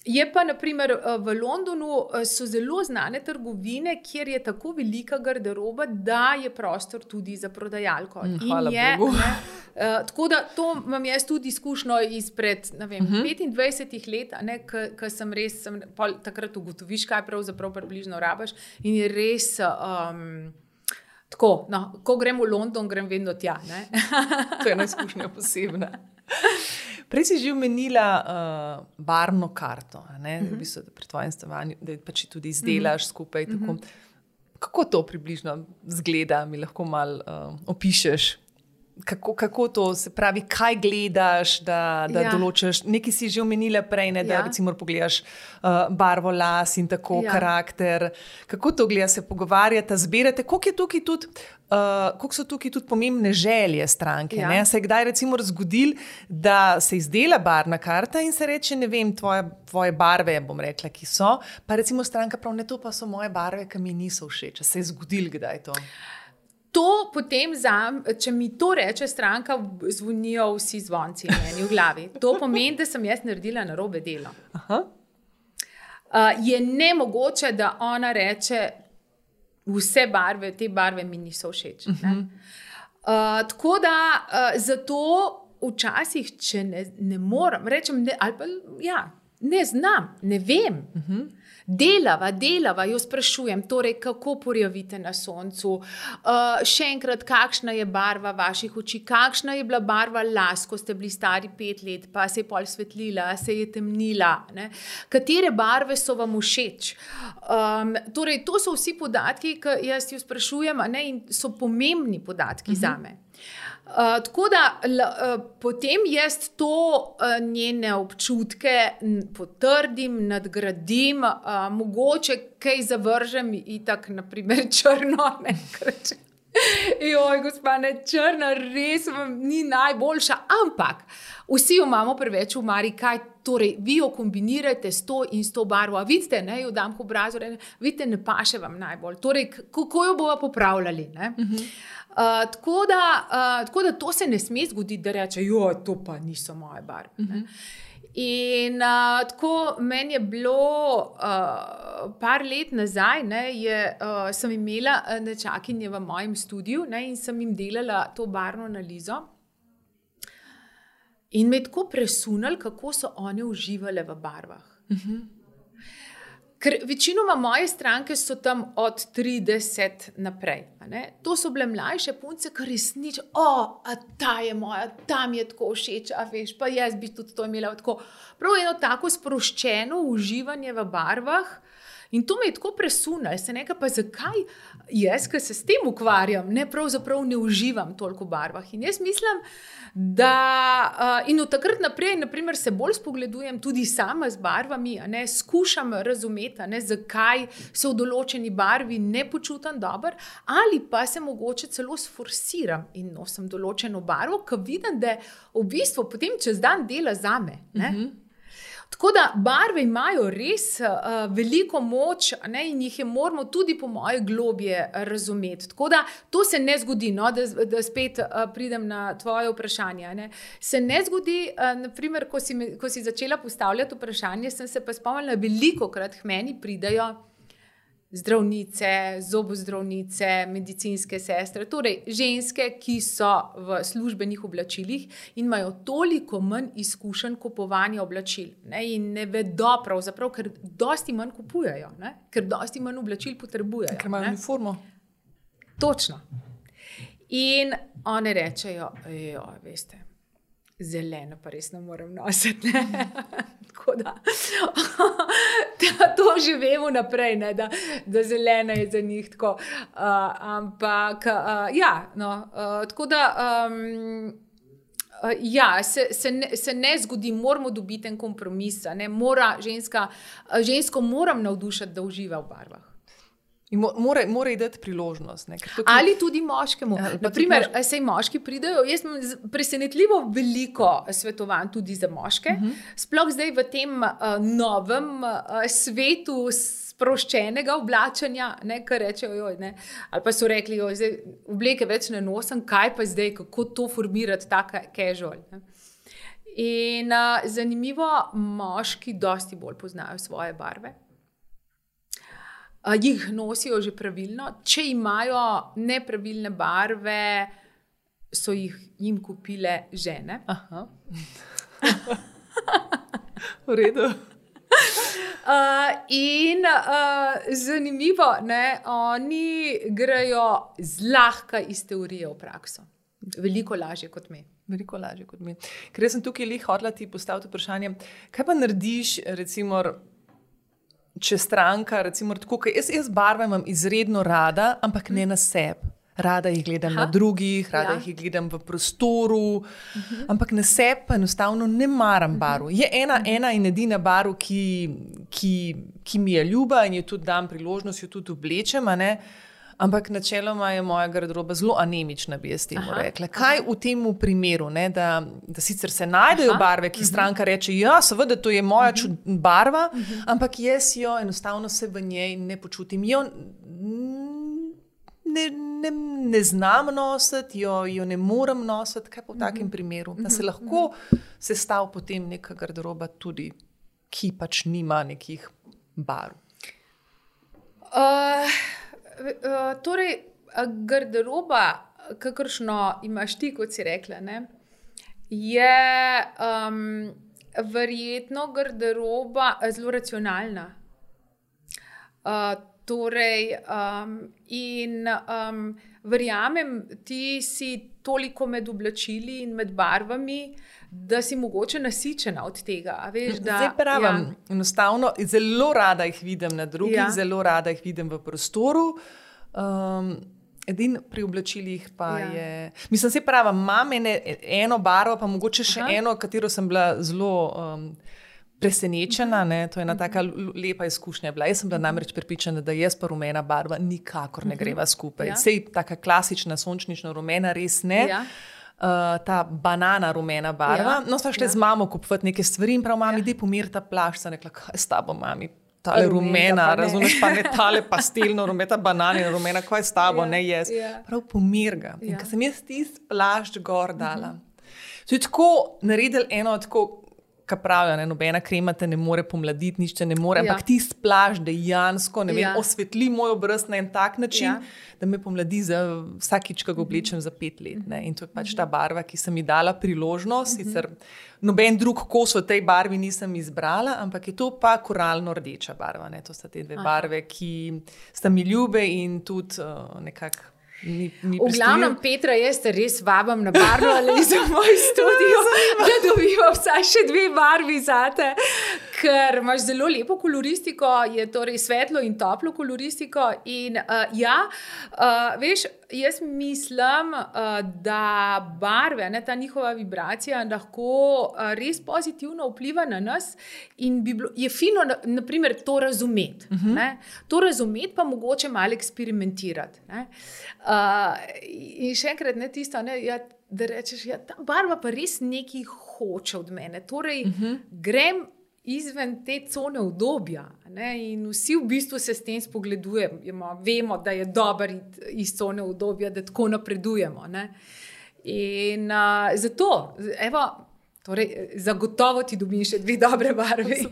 B: Je pa, naprimer, v Londonu so zelo znane trgovine, kjer je tako velika garderoba, da je prostor tudi za prodajalko.
A: Hvala
B: je,
A: Bogu.
B: Ne, uh, tako da to imam jaz tudi izkušnjo izpred, ne vem, uh-huh. petindvajsetih let, ko sem res, sem, pol, takrat ugotoviš, kaj pravzaprav približno rabaš in je res... Um, Tako, no, ko grem v London, grem vedno tja. Ne?
A: To je ena izkušnja posebna. Prej si že omenila uh, barvno karto, ne? Uh-huh. V bistvu, pri tvojem stanovanju, da pač tudi izdelaš uh-huh. skupaj. Tako. Uh-huh. Kako to približno zgleda, mi lahko malo uh, opišeš? Kako, kako to, se pravi, kaj gledaš, da, da ja. določiš, nekaj si že omenila prej, ne, da ja. recimo pogledaš uh, barvo las in tako, ja. karakter, kako to gleda, se pogovarjate, zbirate, koliko je tukaj tudi, uh, koliko so tukaj tudi pomembne želje stranke, ja. ne, se je kdaj recimo zgodil, da se izdela barvna karta in se reče, ne vem, tvoje, tvoje barve, bom rekla, ki so, pa recimo stranka prav, ne, to pa so moje barve, ki mi niso všeč, se je zgodil kdaj to?
B: To potem, za, če mi to reče stranka, zvonijo vsi zvonci meni v glavi. To pomeni, da sem jaz naredila narobe delo. Aha. Uh, je nemogoče, da ona reče, vse barve, te barve mi niso všeč. Uh-huh. Uh, tako da uh, zato včasih, če ne, ne moram, rečem, ne, ali pa ja, ne znam, ne vem. Uh-huh. Delava, delava, jo sprašujem, torej, kako porjavite na soncu, uh, še enkrat, kakšna je barva vaših oči, kakšna je bila barva las, ko ste bili stari pet let, pa se je pol svetlila, se je temnila, ne? Katere barve so vam všeč. Um, torej, to so vsi podatki, ki jaz jo sprašujem, ne? In so pomembni podatki uh-huh. zame. Uh, tako da l, uh, potem jaz to uh, njene občutke n, potrdim, nadgradim, uh, mogoče kaj zavržem itak, naprimer črno, ne, kreče. Joj, gospa, ne, črna res vam ni najboljša, ampak vsi jo imamo preveč v mari, kaj torej, vi jo kombinirate s to in s to barvo, a vidite, ne, jo dam k obrazu, ne, vidite, ne paše vam najbolj, torej, kako jo bova popravljali, ne. Uh-huh. Uh, tako, da, uh, tako da to se ne sme zgoditi, da reče, joj, to pa niso moje barve. Uh-huh. In uh, tako meni je bilo uh, par let nazaj, ne, je, uh, sem imela nečakinje v mojem studiu, ne, in sem jim delala to barvno analizo. In me je tako presunali, kako so one uživale v barvah. Uh-huh. Ker večinoma moje stranke so tam od trideset naprej. Ne? To so bile mlajše punce, kar resnično, o, a ta je moja, ta mi je tako všeč, a veš, pa jaz bi tudi to imela tako. Prav eno tako sproščeno uživanje v barvah in to me je tako presunalo. Se nekaj, pa zakaj jaz, ki se s tem ukvarjam, ne, pravzaprav ne uživam toliko v barvah. In jaz mislim, da uh, in od takrat naprej, naprimer, se bolj spogledujem tudi sama z barvami, a ne, skušam razumeti, a ne, zakaj se v določeni barvi ne počutim dobro, ali pa se mogoče celo sforsiram in nosim določeno barvo, ki vidim, da v bistvu potem čez dan dela zame, ne. Mm-hmm. Tako da barve imajo res uh, veliko moč, ne, in jih je moramo tudi po moje globje razumeti. Tako da to se ne zgodi, no, da, da spet uh, pridem na tvoje vprašanje. Ne. Se ne zgodi, uh, naprimer, ko si, me, ko si začela postavljati vprašanje, sem se pa spomnila, veliko krat k meni pridajo zdravnice, zobozdravnice, medicinske sestre, torej ženske, ki so v službenih oblačilih in imajo toliko manj izkušenj kupovanja oblačil, ne, in ne vedo pravzaprav, ker dosti manj kupujejo, ne, ker dosti manj oblačil potrebujejo.
A: Ker imajo uniformo.
B: Točno. In one rečejo, jo, veste, zeleno pa res ne morem nositi. Ne? Tako da to že vemo naprej, ne? Da, da zelena je za njih tako. Uh, ampak, uh, ja, no, uh, tako da, um, uh, ja, se, se, ne, se ne zgodi, moramo dobiti en kompromis, ne? Mora ženska, žensko moram navdušiti, da uživa v barvah.
A: Mora, mora ji dati priložnost. Ne?
B: Tukaj... Ali tudi moškemu. Ja, Naprimer, mož... sej moški pridejo, jaz imam presenetljivo veliko svetovanj tudi za moške, uh-huh. Sploh zdaj v tem uh, novem uh, svetu sproščenega oblačenja, ne, kar rečejo, joj, ne, ali pa so rekli, joj, zdaj obleke več ne nosim, kaj pa zdaj, kako to formirati, taka casual. Ne. In uh, zanimivo, moški dosti bolj poznajo svoje barve. Uh, jih nosijo že pravilno. Če imajo nepravilne barve, so jih jim kupile žene.
A: Aha. V redu.
B: Uh, in uh, zanimivo, ne, oni grejo zlahka iz teorije v prakso. Veliko lažje kot mi.
A: Veliko lažje kot mi. Ker jaz sem tukaj lih hotela ti postaviti vprašanje, kaj pa narediš, recimo, če stranka, recimo, tako, jaz, jaz barve imam izredno rada, ampak ne na sebi. Rada jih gledam Aha. na drugih, rada ja. jih gledam v prostoru, uh-huh. ampak na sebi pa enostavno ne maram barv. Je ena, uh-huh. ena in edina barv, ki, ki, ki mi je ljuba in jo tudi dam priložnost, jo tudi oblečem, a ne? Ampak načeloma je moja garderoba zelo anemična, bi jaz temu Aha, rekla. Kaj aha. v tem primeru, ne, da, da sicer se najdejo aha, barve, ki uh-huh. stranka reče, ja, seveda, to je moja uh-huh. čud, barva, uh-huh. ampak jaz jo enostavno se v njej ne počutim. Jo ne, ne, ne znam nositi, jo, jo ne morem nositi. Kaj pa v takem uh-huh. primeru? Da se lahko uh-huh. sestav potem neka garderoba tudi, ki pač nima nekih barv.
B: Uh... Uh, torej, garderoba, kakršno imaš ti, kot si rekla, ne, je um, verjetno garderoba zelo racionalna. Uh, torej, um, in um, verjamem, ti si toliko med oblačili in med barvami, da si mogoče nasičena od tega. Veš, da,
A: Zdaj pravim, ja. enostavno, zelo rada jih vidim na drugih, ja. zelo rada jih vidim v prostoru. Um, edin pri oblačilih pa ja. je... Mislim, se pravim, imam ene, eno barvo, pa mogoče še Aha. eno, katero sem bila zelo um, presenečena. Ne? To je ena taka lepa izkušnja bila. Jaz sem bila namreč prepričana, da jaz pa rumena barva nikakor ne greva skupaj. Ja. Sej taka klasična sončnično rumena res ne. Ja. Uh, ta banana rumena barva. Ja, no, sta šle ja. z mamo kupovati neke stvari in prav, mami, ja. dej pomir ta plašč. Sem rekla, kaj s tabo, mami? Tale rumena, pa razumeš, pa ne tale pastelno rumena, bananina rumena, kaj s tabo, ja. ne jaz. Ja. Prav pomir ga. Ja. In ko sem jaz tist plašč gor dala, uh-huh. so je tako naredili eno tako, ka pravijo, ne, nobena krema te ne more pomladiti, nič te ne more, ja. ampak tist plašč dejansko, ne vem, ja. osvetli moj obraz na en tak način, ja. da me pomladi za vsakič, ko ga oblečem za pet let. Ne? In to je pač ta barva, ki sem mi dala priložnost, uh-huh. sicer noben drug kos v tej barvi nisem izbrala, ampak je to pa koralno rdeča barva. Ne? To sta te dve Aha. barve, ki sta mi ljube in tudi uh, nekako Mi, mi
B: v glavnem, Petra, jaz te res vabam na barvo ali za moj studio, da dobiva vsaj še dve barvi zate, ker imaš zelo lepo koloristiko, je torej svetlo in toplo koloristiko in uh, ja, uh, veš, jaz mislim, uh, da barve, ne, ta njihova vibracija lahko uh, res pozitivno vpliva na nas in bi bilo, je fino, na, naprimer, to razumeti. Uh-huh. Ne? To razumeti pa mogoče malo eksperimentirati. Ne? Uh, in še enkrat, ne tisto, ne, ja, da rečeš, ja, ta barva pa res nekaj hoče od mene. Torej, uh-huh. grem izven te cone udobja, ne, in vsi v bistvu se s tem spogledujemo. Vemo, da je dober iz cone udobja, da tako napredujemo. Ne. In uh, zato, evo, torej, zagotovo ti dobim še dve dobre barve.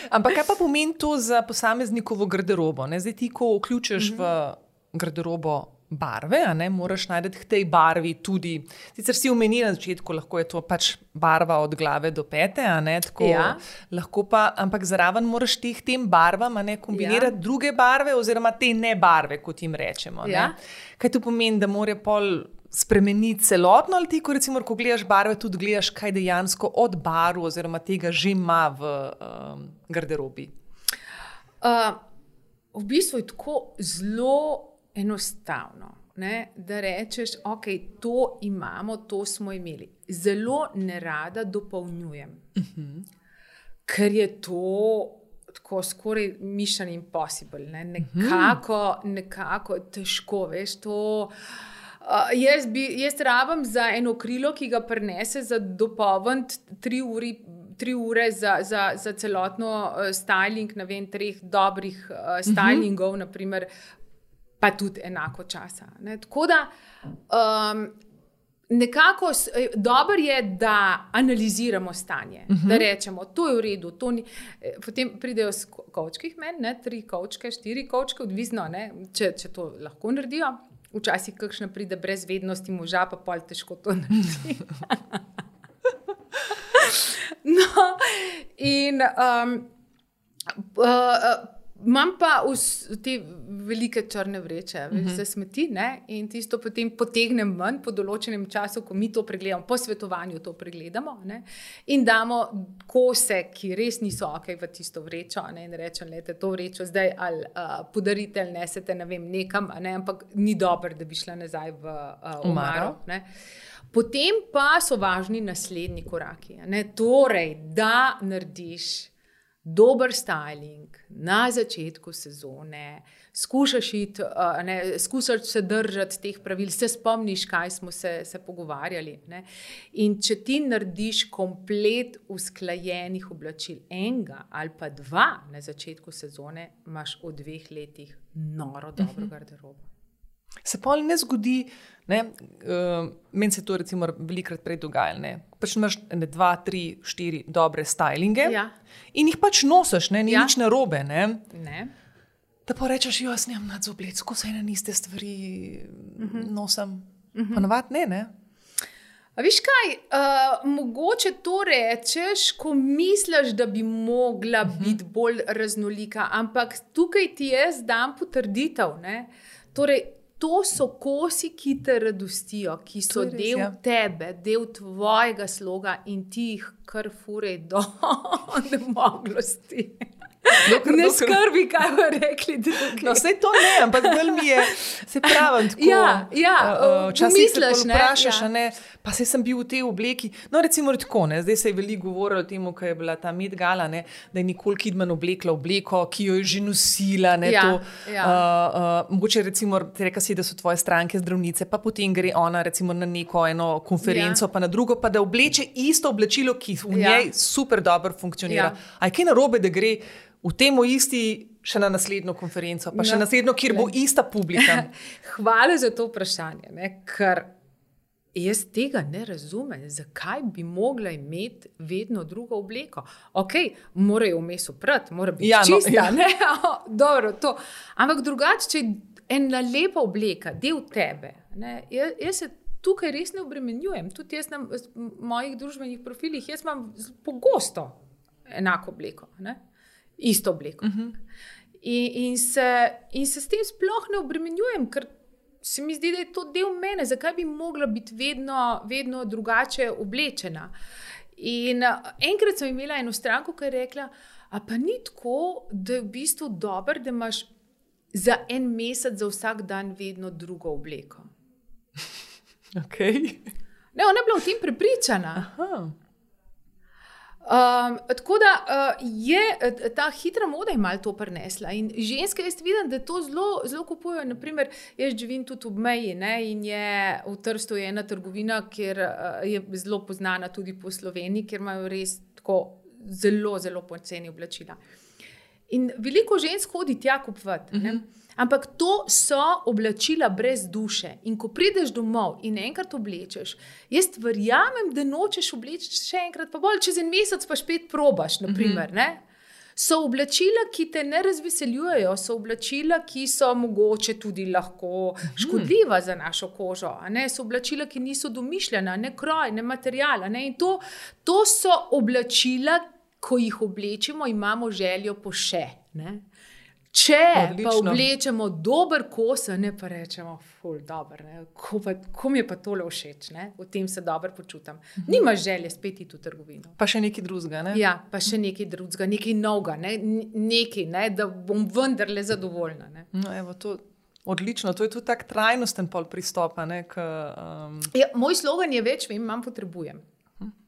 A: Ampak kaj pa pomeni to za posameznikovo garderobo? Ne? Zdaj ti, ko vključiš uh-huh. v garderobo barve, a ne, moraš najti k tej barvi tudi, sicer si omenila na začetku, lahko je to pač barva od glave do pete, a ne, tako ja. lahko pa, ampak zraven moraš teh tem barvam, a ne, kombinirati ja. druge barve oziroma te ne barve, kot jim rečemo. Ja. Ne. Kaj to pomeni, da mora pol spremeniti celotno, ali ti, ko, recimo, ko gledaš barve, tudi gledaš, kaj dejansko od barv oziroma tega že ima v um, garderobi?
B: Uh, v bistvu je tako zelo enostavno, ne, da rečeš, ok, to imamo, to smo imeli. Zelo nerada dopolnjujem, uh-huh. ker je to tako skoraj mission impossible, ne? nekako, nekako težko, veš, to uh, jaz, bi, jaz rabim za eno krilo, ki ga prinese za dopolniti tri uri, tri ure za, za, za celotno uh, styling, ne vem, treh dobrih uh, stylingov, uh-huh. naprimer, pa tudi enako časa. Ne? Tako da um, nekako dobro je, da analiziramo stanje, uh-huh. da rečemo, to je v redu, to ni, potem pridejo s kovčkih meni, ne, tri kovčke, štiri kovčke, odvisno, ne, če, če to lahko naredijo. Včasih kakšna pride brez vednosti moža, pa pol težko to naredi. No, in um, uh, imam pa vs, te velike črne vreče, uh-huh. za smeti, ne? In tisto potem potegnem ven po določenem času, ko mi to pregledamo, po svetovanju to pregledamo, ne? In damo kose, ki res niso ok v tisto vrečo, ne? In rečem, lete, to vrečo zdaj ali uh, podarite ali nesete, ne vem, nekam, ne? Ampak ni dobro, da bi šla nazaj v uh, omaro. Ne? Potem pa so važni naslednji koraki. Ne? Torej, da narediš dober styling na začetku sezone, skušaš, iti, uh, ne, skušaš se držati teh pravil, se spomniš, kaj smo se, se pogovarjali. Ne? In če ti narediš komplet usklajenih oblačil, enega ali pa dva na začetku sezone, imaš v dveh letih noro dobro uh-huh. garderobo.
A: Se pa ne zgodi, ne, uh, meni se to recimo velikrat prej dogaja, ne, pač imaš ne, dva, tri, štiri dobre stylinge
B: ja.
A: in jih pač nosiš, ne, ni ja. nič narobe, ne.
B: Ne.
A: Da pa rečeš, jo, jaz nemam nad zoblec, ko se ene niste stvari uh-huh. nosim, uh-huh. pa navad ne, ne.
B: A viš kaj, uh, mogoče to rečeš, ko misliš, da bi mogla uh-huh. biti bolj raznolika, ampak tukaj ti jaz dam potrditev, ne, torej, to so kosi, ki te radostijo, ki so res, del ja. tebe, del tvojega sloga in ti jih kar furej do nemoglosti. Dokor, ne dokor. Skrbi, kaj bo rekli drugi.
A: No, sej to ne, ampak bolj mi je, se pravim tako.
B: Ja, ja,
A: včasih se vprašaš, ja. ne, pa sej sem bil v tej obleki. No, recimo tako, ne, zdaj se je veliko govorilo o tem, ko je bila ta Met Gala, ne, da je Nicole Kidman oblekla obleko, ki jo je že nosila. Ne,
B: ja,
A: to,
B: ja.
A: uh, uh, mogoče recimo, reka si, da so tvoje stranke zdravnice, pa potem gre ona recimo na neko eno konferenco, ja. pa na drugo, pa da obleče isto oblačilo, ki v ja. njej super dobro funkcionira. Ja. A je kaj narobe, da gre v temu isti še na naslednjo konferenco, pa še no, naslednjo, kjer bo ista publika.
B: Hvala za to vprašanje, ne? Ker jaz tega ne razumem, zakaj bi mogla imeti vedno drugo obleko. Ok, mora jo vmes oprati, mora biti ja, čista, no, ja. ne? Dobro, to. Ampak drugače, če je ena lepa obleka, del tebe, ne? Jaz, jaz se tukaj res ne obremenjujem. Tudi jaz na mojih družbenih profilih, jaz imam pogosto enako obleko, ne? Isto obleko. Uh-huh. In, in, se, in se s tem sploh ne obremenjujem, ker se mi zdi, da je to del mene. Zakaj bi mogla biti vedno, vedno drugače oblečena? In enkrat sem imela eno stranko, ki je rekla, a pa ni tako, da je v bistvu dobro, da imaš za en mesec, za vsak dan vedno drugo obleko.
A: Ok.
B: Ne, ona je bila v tem prepričana.
A: Aha.
B: Um, tako da uh, je ta hitra moda je malo to prinesla in ženske jaz vidim, da to zelo, zelo kupujejo. Naprimer, jaz živim tudi ob meji, ne, in je v Trstu je ena trgovina, kjer uh, je zelo poznana tudi po Sloveniji, kjer imajo res tako zelo, zelo poceni oblačila. In veliko žensk hodi tja kupovati, ne. Uh-huh. Ampak to so oblačila brez duše. In ko prideš domov in enkrat oblečeš, jaz verjamem, da nočeš obleči še enkrat, pa bolj čez en mesec pa špet probaš, naprimer, mm-hmm. ne? So oblačila, ki te ne razveseljujejo, so oblačila, ki so mogoče tudi lahko škodljiva za našo kožo, a ne? So oblačila, ki niso domišljena, ne kroj, ne material, ne? In to, to so oblačila, ko jih oblečimo, imamo željo po še, ne? Če
A: Odlično.
B: pa oblečemo dober kos, ne pa rečemo, ful, dober, ne, ko, pa, ko mi je pa tole všeč, ne, v tem se dobro počutam. Uh-huh. Nimaš želje spet iti v trgovino.
A: Pa še nekaj drugega, ne?
B: Ja, pa še nekaj drugega, nekaj novega, ne, nekaj, ne, da bom vendarle zadovoljna. Ne.
A: No, evo, to, odlično, to je tudi tak trajnosten pol pristopa, ne, k, um...
B: ja, moj slogan je več vem, manj potrebujem.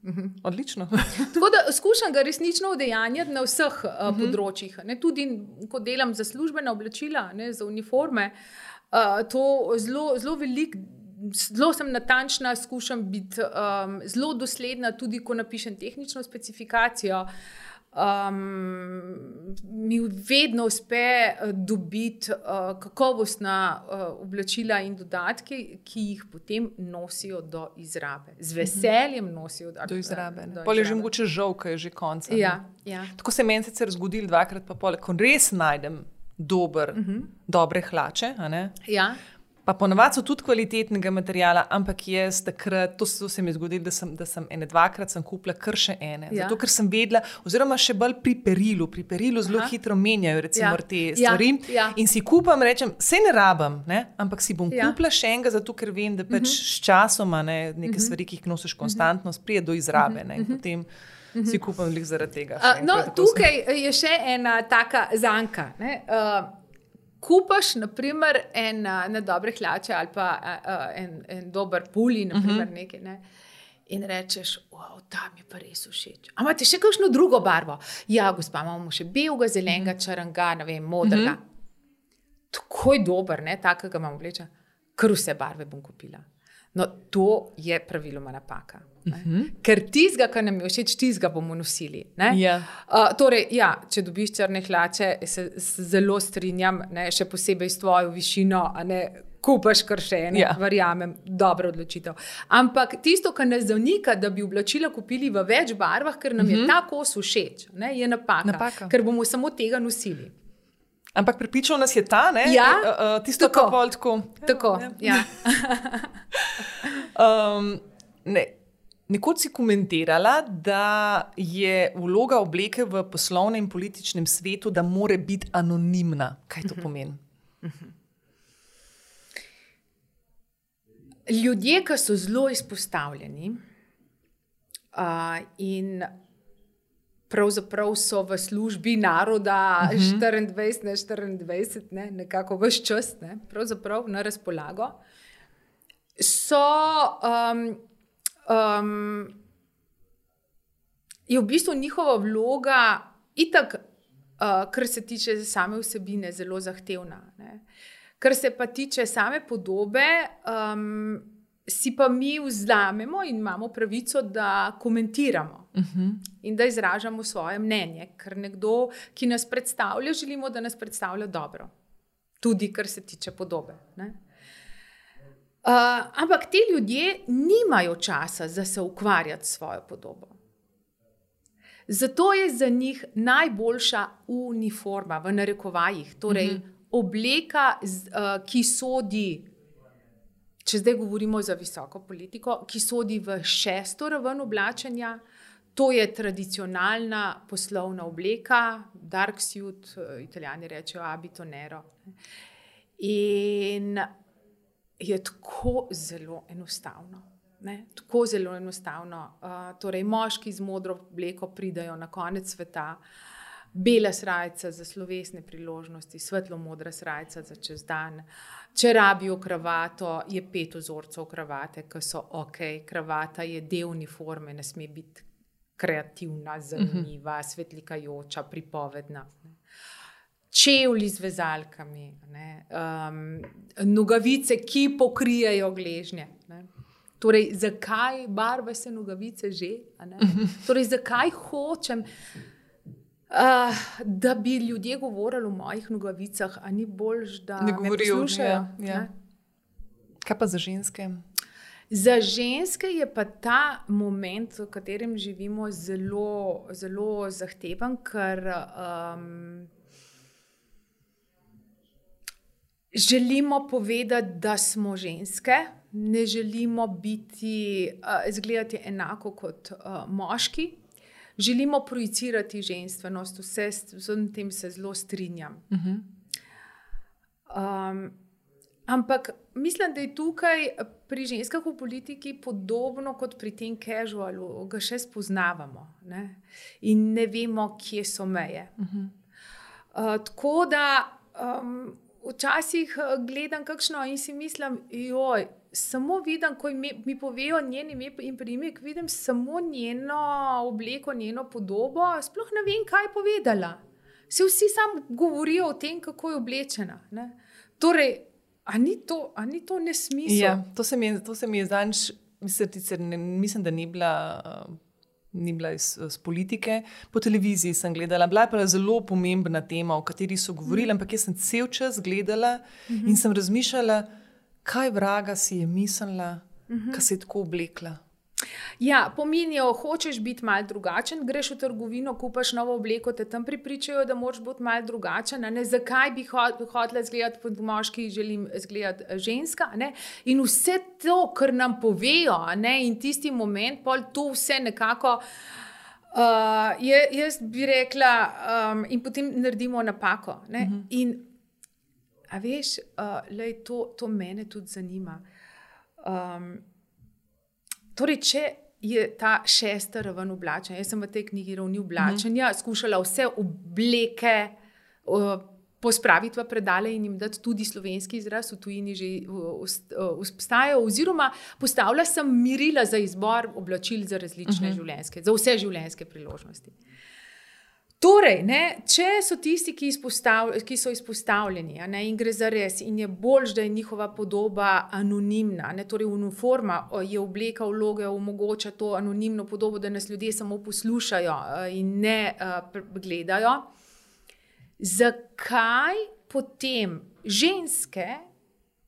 A: Uh-huh. Odlično.
B: Tako da skušam ga resnično udejanjati na vseh uh, uh-huh. področjih. Ne? Tudi, ko delam za službena oblačila, ne, za uniforme, uh, to zelo, zelo veliko, zelo sem natančna, skušam biti um, zelo dosledna, tudi ko napišem tehnično specifikacijo. Um, mi vedno uspe dobiti uh, kakovostna uh, oblačila in dodatke, ki jih potem nosijo do izrabe. Z veseljem nosijo do,
A: do izrabe.
B: Do
A: pol je
B: izrabe.
A: že mogoče žal, ko je že konec.
B: Ja, ja.
A: Tako se meni sicer zgodilo dvakrat, pa pol, ko res najdem dober, uh-huh. dobre hlače, a ne?
B: Ja.
A: Pa ponavadi so tudi kvalitetnega materiala, ampak jaz takrat, to, to se mi je zgodilo, da sem, da sem ene dvakrat sem kupila kar še ene. Ja. Zato, ker sem vedela, oziroma še bolj pri perilu, pri perilu zelo Aha. hitro menjajo recimo ja. te stvari. Ja. Ja. In si kupam, rečem, sej ne rabim, ne? Ampak si bom ja. kupila še enega, zato ker vem, da pač uh-huh. s časoma ne, neke uh-huh. stvari, ki jih nosiš konstantno, prije do izrabe. Ne? In potem uh-huh. si kupam lih zaradi tega.
B: Uh, no, tukaj sem... je še ena taka zanka. Ne? Uh, Kupaš, naprimer, en, ene dobre hlače ali pa uh, en, en dober puli, naprimer, uh-huh. nekaj, ne? In rečeš, wow, ta mi je pa res všeč. A imate še kakšno drugo barvo? Ja, gospa, imamo še belega, zelenega, uh-huh. črnga, ne vem, modrega. Uh-huh. Tako je dober, ne, takega imam oblečen. Kar vse barve bom kupila. No, to je praviloma napaka. Uh-huh. Ker tizga, kar nam je všeč, tizga bomo nosili.
A: Yeah.
B: Uh, torej, ja, če dobiš črne hlače, se, se zelo strinjam, ne, še posebej s tvojo višino, a ne kupaš kar še ene, yeah. verjamem, dobra odločitev. Ampak tisto, kar nas zanika, da bi oblačila kupili v več barvah, ker nam uh-huh. je ta kos všeč, ne, je napaka,
A: napaka, ker
B: bomo samo tega nosili.
A: Ampak prepričal nas je ta, ne?
B: Ja,
A: uh, tisto,
B: tako.
A: Pol, tako.
B: Tako, ja.
A: ja. um, ne. Nekoč si komentirala, da je vloga obleke v poslovnem in političnem svetu, da mora biti anonimna. Kaj to pomeni?
B: Ljudje, ki so zelo izpostavljeni uh, in pravzaprav so v službi naroda uh-huh. štiriindvajset na štiriindvajset, ne, nekako ves čas, ne, pravzaprav na razpolago, so... Um, Um, je v bistvu njihova vloga itak, uh, kar se tiče same vsebine, zelo zahtevna. Ne? Kar se pa tiče same podobe, um, si pa mi vzamemo in imamo pravico, da komentiramo uh-huh. in da izražamo svoje mnenje, ker nekdo, ki nas predstavlja, želimo, da nas predstavlja dobro. Tudi kar se tiče podobe. Ne? Uh, ampak ti ljudje nimajo časa za se ukvarjati s svojo podobo. Zato je za njih najboljša uniforma, v narekovajih, torej uh-huh. obleka, z, uh, ki sodi, če zdaj govorimo za visoko politiko, ki sodi v šesto raven oblačenja, to je tradicionalna poslovna obleka, dark suit, Italijani rečejo abito nero. In je tako zelo enostavno. Ne? Tako zelo enostavno. Uh, torej, moški z modro obleko pridajo na konec sveta, bela srajca za slovesne priložnosti, svetlo modra srajca za čez dan. Če rabijo kravato, je pet vzorcev kravate, ki so ok. Kravata je del uniforme, ne sme biti kreativna, zanimiva, uh-huh. svetlikajoča, pripovedna. Čevlji z vezalkami, ne, um, nogavice, ki pokrijejo gležnje. Ne. Torej, zakaj barve se nogavice že? Ne? Torej, zakaj hočem, uh, da bi ljudje govorili o mojih nogavicah, a ni boljš, da ne me poslušajo? Ja, ja.
A: Kaj pa za ženske?
B: Za ženske je pa ta moment, v katerem živimo, zelo, zelo zahteven, ker um, želimo povedati, da smo ženske, ne želimo biti, uh, izgledati enako kot uh, moški, želimo projicirati ženstvenost, vse s tem se zelo strinjam. Uh-huh. Um, ampak mislim, da je tukaj pri ženskah v politiki podobno kot pri tem casualu, ga še spoznavamo, ne? In ne vemo, kje so meje. Uh-huh. Uh, tako da um, včasih gledam kakšno in si mislim, joj, samo vidim, ko mi, mi povejo njen ime in priimek, vidim samo njeno obleko, njeno podobo, sploh ne vem, kaj je povedala. Se vsi samo govorijo o tem, kako je oblečena. Ne? Torej, a ni to, a ni to nesmisel?
A: Ja, to se mi je, to se mi je zanj, mislim, mislim, da ni bila, ni bila iz, iz politike. Po televiziji sem gledala, bila je pa zelo pomembna tema, o kateri so govorili, mm. ampak jaz sem cel čas gledala mm-hmm. in sem razmišljala, kaj vraga si je mislila, mm-hmm. ko se je tako oblekla.
B: Ja, pomenijo, hočeš biti malo drugačen, greš v trgovino, kupaš novo obleko, te tam pripričajo, da moraš biti malo drugačen. Ne? Zakaj bi hotela izgledati pod moški, želim izgledati ženska? Ne? In vse to, kar nam povejo, ne? In tisti moment, pol to vse nekako, uh, je, jaz bi rekla, um, in potem naredimo napako. Ne? Mm-hmm. In a veš, uh, lej, to, to mene tudi zanima. Um, Torej, če je ta šesta raven oblačenja, jaz sem v tej knjigi ravni oblačenja, mm. skušala vse obleke uh, pospraviti v predale in jim dati tudi slovenski izraz, v tujini že obstajajo, oziroma postavila sem merila za izbor oblačil za različne mm-hmm. življenjske, za vse življenjske priložnosti. Torej, ne, če so tisti, ki, ki so izpostavljeni, ne, in gre za res, in je bolj, da je njihova podoba anonimna, ne, torej uniforma je obleka vloge, omogoča to anonimno podobo, da nas ljudje samo poslušajo in ne uh, gledajo. Zakaj potem ženske,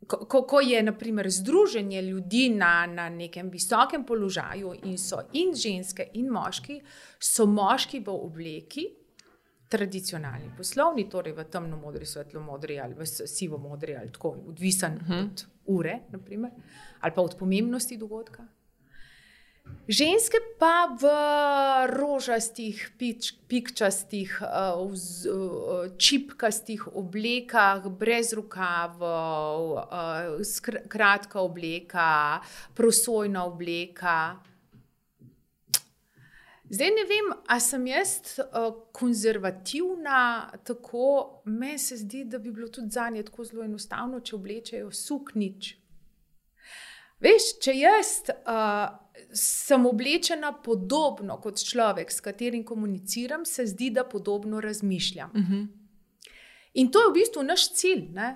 B: ko, ko je na primer združenje ljudi na, na nekem visokem položaju in so in ženske in moški, so moški v obleki, tradicionalni poslovni, torej v temno-modri, svetlo-modri ali v sivo-modri ali tako, odvisen uh-huh. od ure, na primer, ali pa od pomembnosti dogodka. Ženske pa v rožastih, pič, pikčastih, uh, vz, uh, čipkastih oblekah, brez rokavov, uh, skr- kratka obleka, prosojna obleka. Zdaj ne vem, a sem jaz uh, konzervativna, tako meni se zdi, da bi bilo tudi zanje tako zelo enostavno, če oblečejo suknič. Veš, če jaz uh, sem oblečena podobno kot človek, s katerim komuniciram, se zdi, da podobno razmišljam. Uh-huh. In to je v bistvu naš cilj, ne?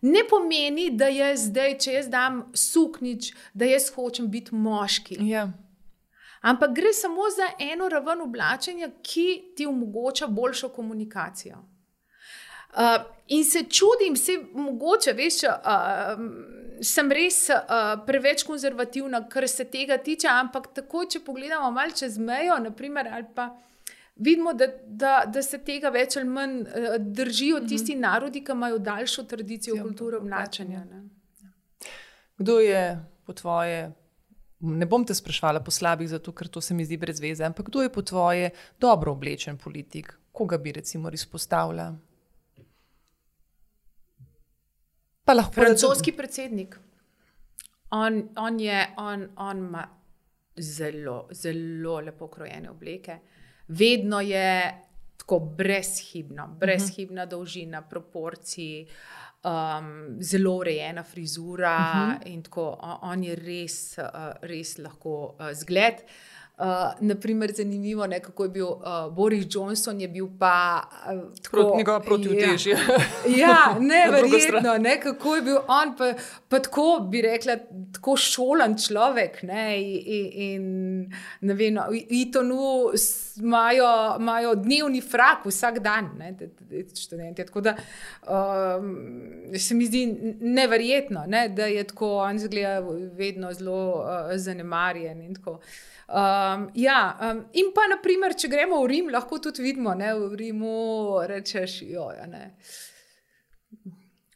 B: Ne pomeni, da jaz zdaj, če jaz dam suknič, da jaz hočem biti moški.
A: Ja.
B: Ampak gre samo za eno raven oblačenja, ki ti omogoča boljšo komunikacijo. Uh, in se čudim, se mogoče, veš, uh, sem res uh, preveč konzervativna, kar se tega tiče, ampak tako, če pogledamo malo čez mejo, naprimer, ali pa vidimo, da, da, da se tega več ali manj uh, držijo tisti mm-hmm. narodi, ki imajo daljšo tradicijo ja, kulture oblačenja. Ne?
A: Kdo je po tvoje, ne bom te sprašvala po slabih, zato ker to se mi zdi brez veze, ampak kdo je po tvoje dobro oblečen politik? Koga bi recimo izpostavila? Pa lahko
B: francoski predsednik. On, on je, on, on ima zelo, zelo lepo krojene obleke. Vedno je tako brezhibno, brezhibna uh-huh. dolžina, proporciji, um, zelo urejena frizura uh-huh. in tako, on, on je res, uh, res lahko uh, zgled. Uh, naprimer, zanimivo, ne, kako je bil uh, Boris Johnson, je bil pa uh, tako,
A: njegova protivtežja.
B: Ja, ja, ne, verjetno, ne, kako je bil on, pa, pa tako bi rekla, tako šolan človek, ne, in, in ne vem, v Etonu imajo dnevni frak vsak dan, ne, študenti, tako da um, se mi zdi neverjetno, ne, da je tako, on zgleda vedno zelo uh, zanemarjen in tako. Um, ja, um, in pa naprimer, če gremo v Rim, lahko tudi vidimo, ne, v Rimu rečeš, joja, ne,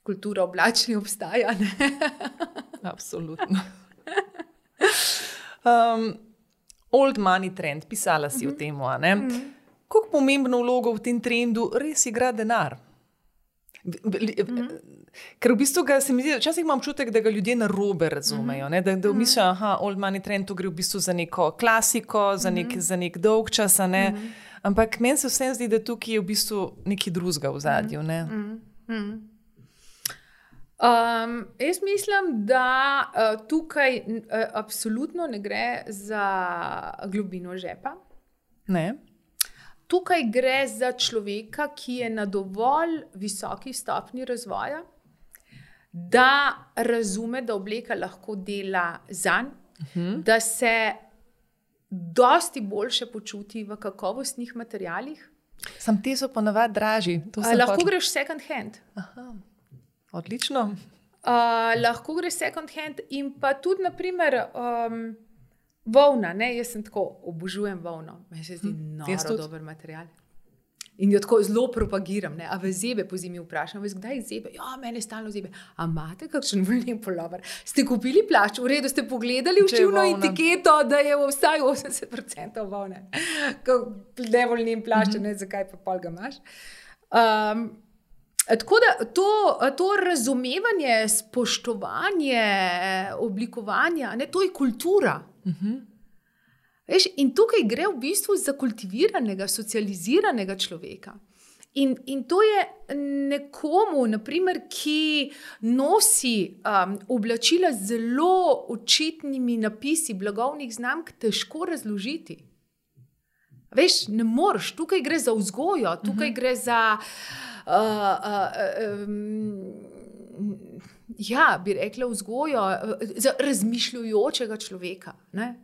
B: kultura oblačenja obstaja, ne.
A: Absolutno. Um, old money trend, pisala si mm-hmm. o tem, a ne? Mm-hmm. Koliko pomembno vlogo v tem trendu res igra denar? Mm-hmm. Ker v bistvu ga, se mi zdi, včasih imam občutek, da ga ljudje narobe razumejo, ne? Da, da mislijo, aha, old money trend, to gre v bistvu za neko klasiko, za nek, za nek dolg čas, ne? Ampak meni se vsem zdi, da tukaj je v bistvu nekaj drugega v zadju, ne?
B: Um, jaz mislim, da uh, tukaj uh, absolutno ne gre za globino žepa.
A: Ne.
B: Tukaj gre za človeka, ki je na dovolj visoki stopnji razvoja, da razume, da obleka lahko dela zanj, uh-huh. da se dosti boljše počuti v kakovostnih materialih.
A: Sam te so ponavadi dražji.
B: Lahko hoč... greš second hand.
A: Aha. Odlično.
B: Uh, lahko greš second hand in pa tudi, naprimer, um, volna. Ne? Jaz sem tako, obožujem volno. Meni se zdi hm, noro dober material. In jo tako zelo propagiram. Ne? A v zebe po zimi vprašam, veš, kdaj zebe? Ja, mene stalno zebe. A imate kakšen volnen polover? Ste kupili plašč? V redu, ste pogledali v štivno etiketo, da je vsaj osemdeset procentov volne. Ne volnen plašč, mm-hmm. ne, zakaj pa pol ga imaš. Um, tako da to, to razumevanje, spoštovanje, oblikovanja, ne, to je kultura.
A: Mhm.
B: Veš, in tukaj gre v bistvu za kultiviranega, socializiranega človeka. In, in to je nekomu, naprimer, ki nosi um, oblačila z zelo očitnimi napisi blagovnih znamk, težko razložiti. Veš, ne moreš, tukaj gre za vzgojo, tukaj uh-huh. gre za uh, uh, um, ja, bi rekla vzgojo, za razmišljujočega človeka, ne?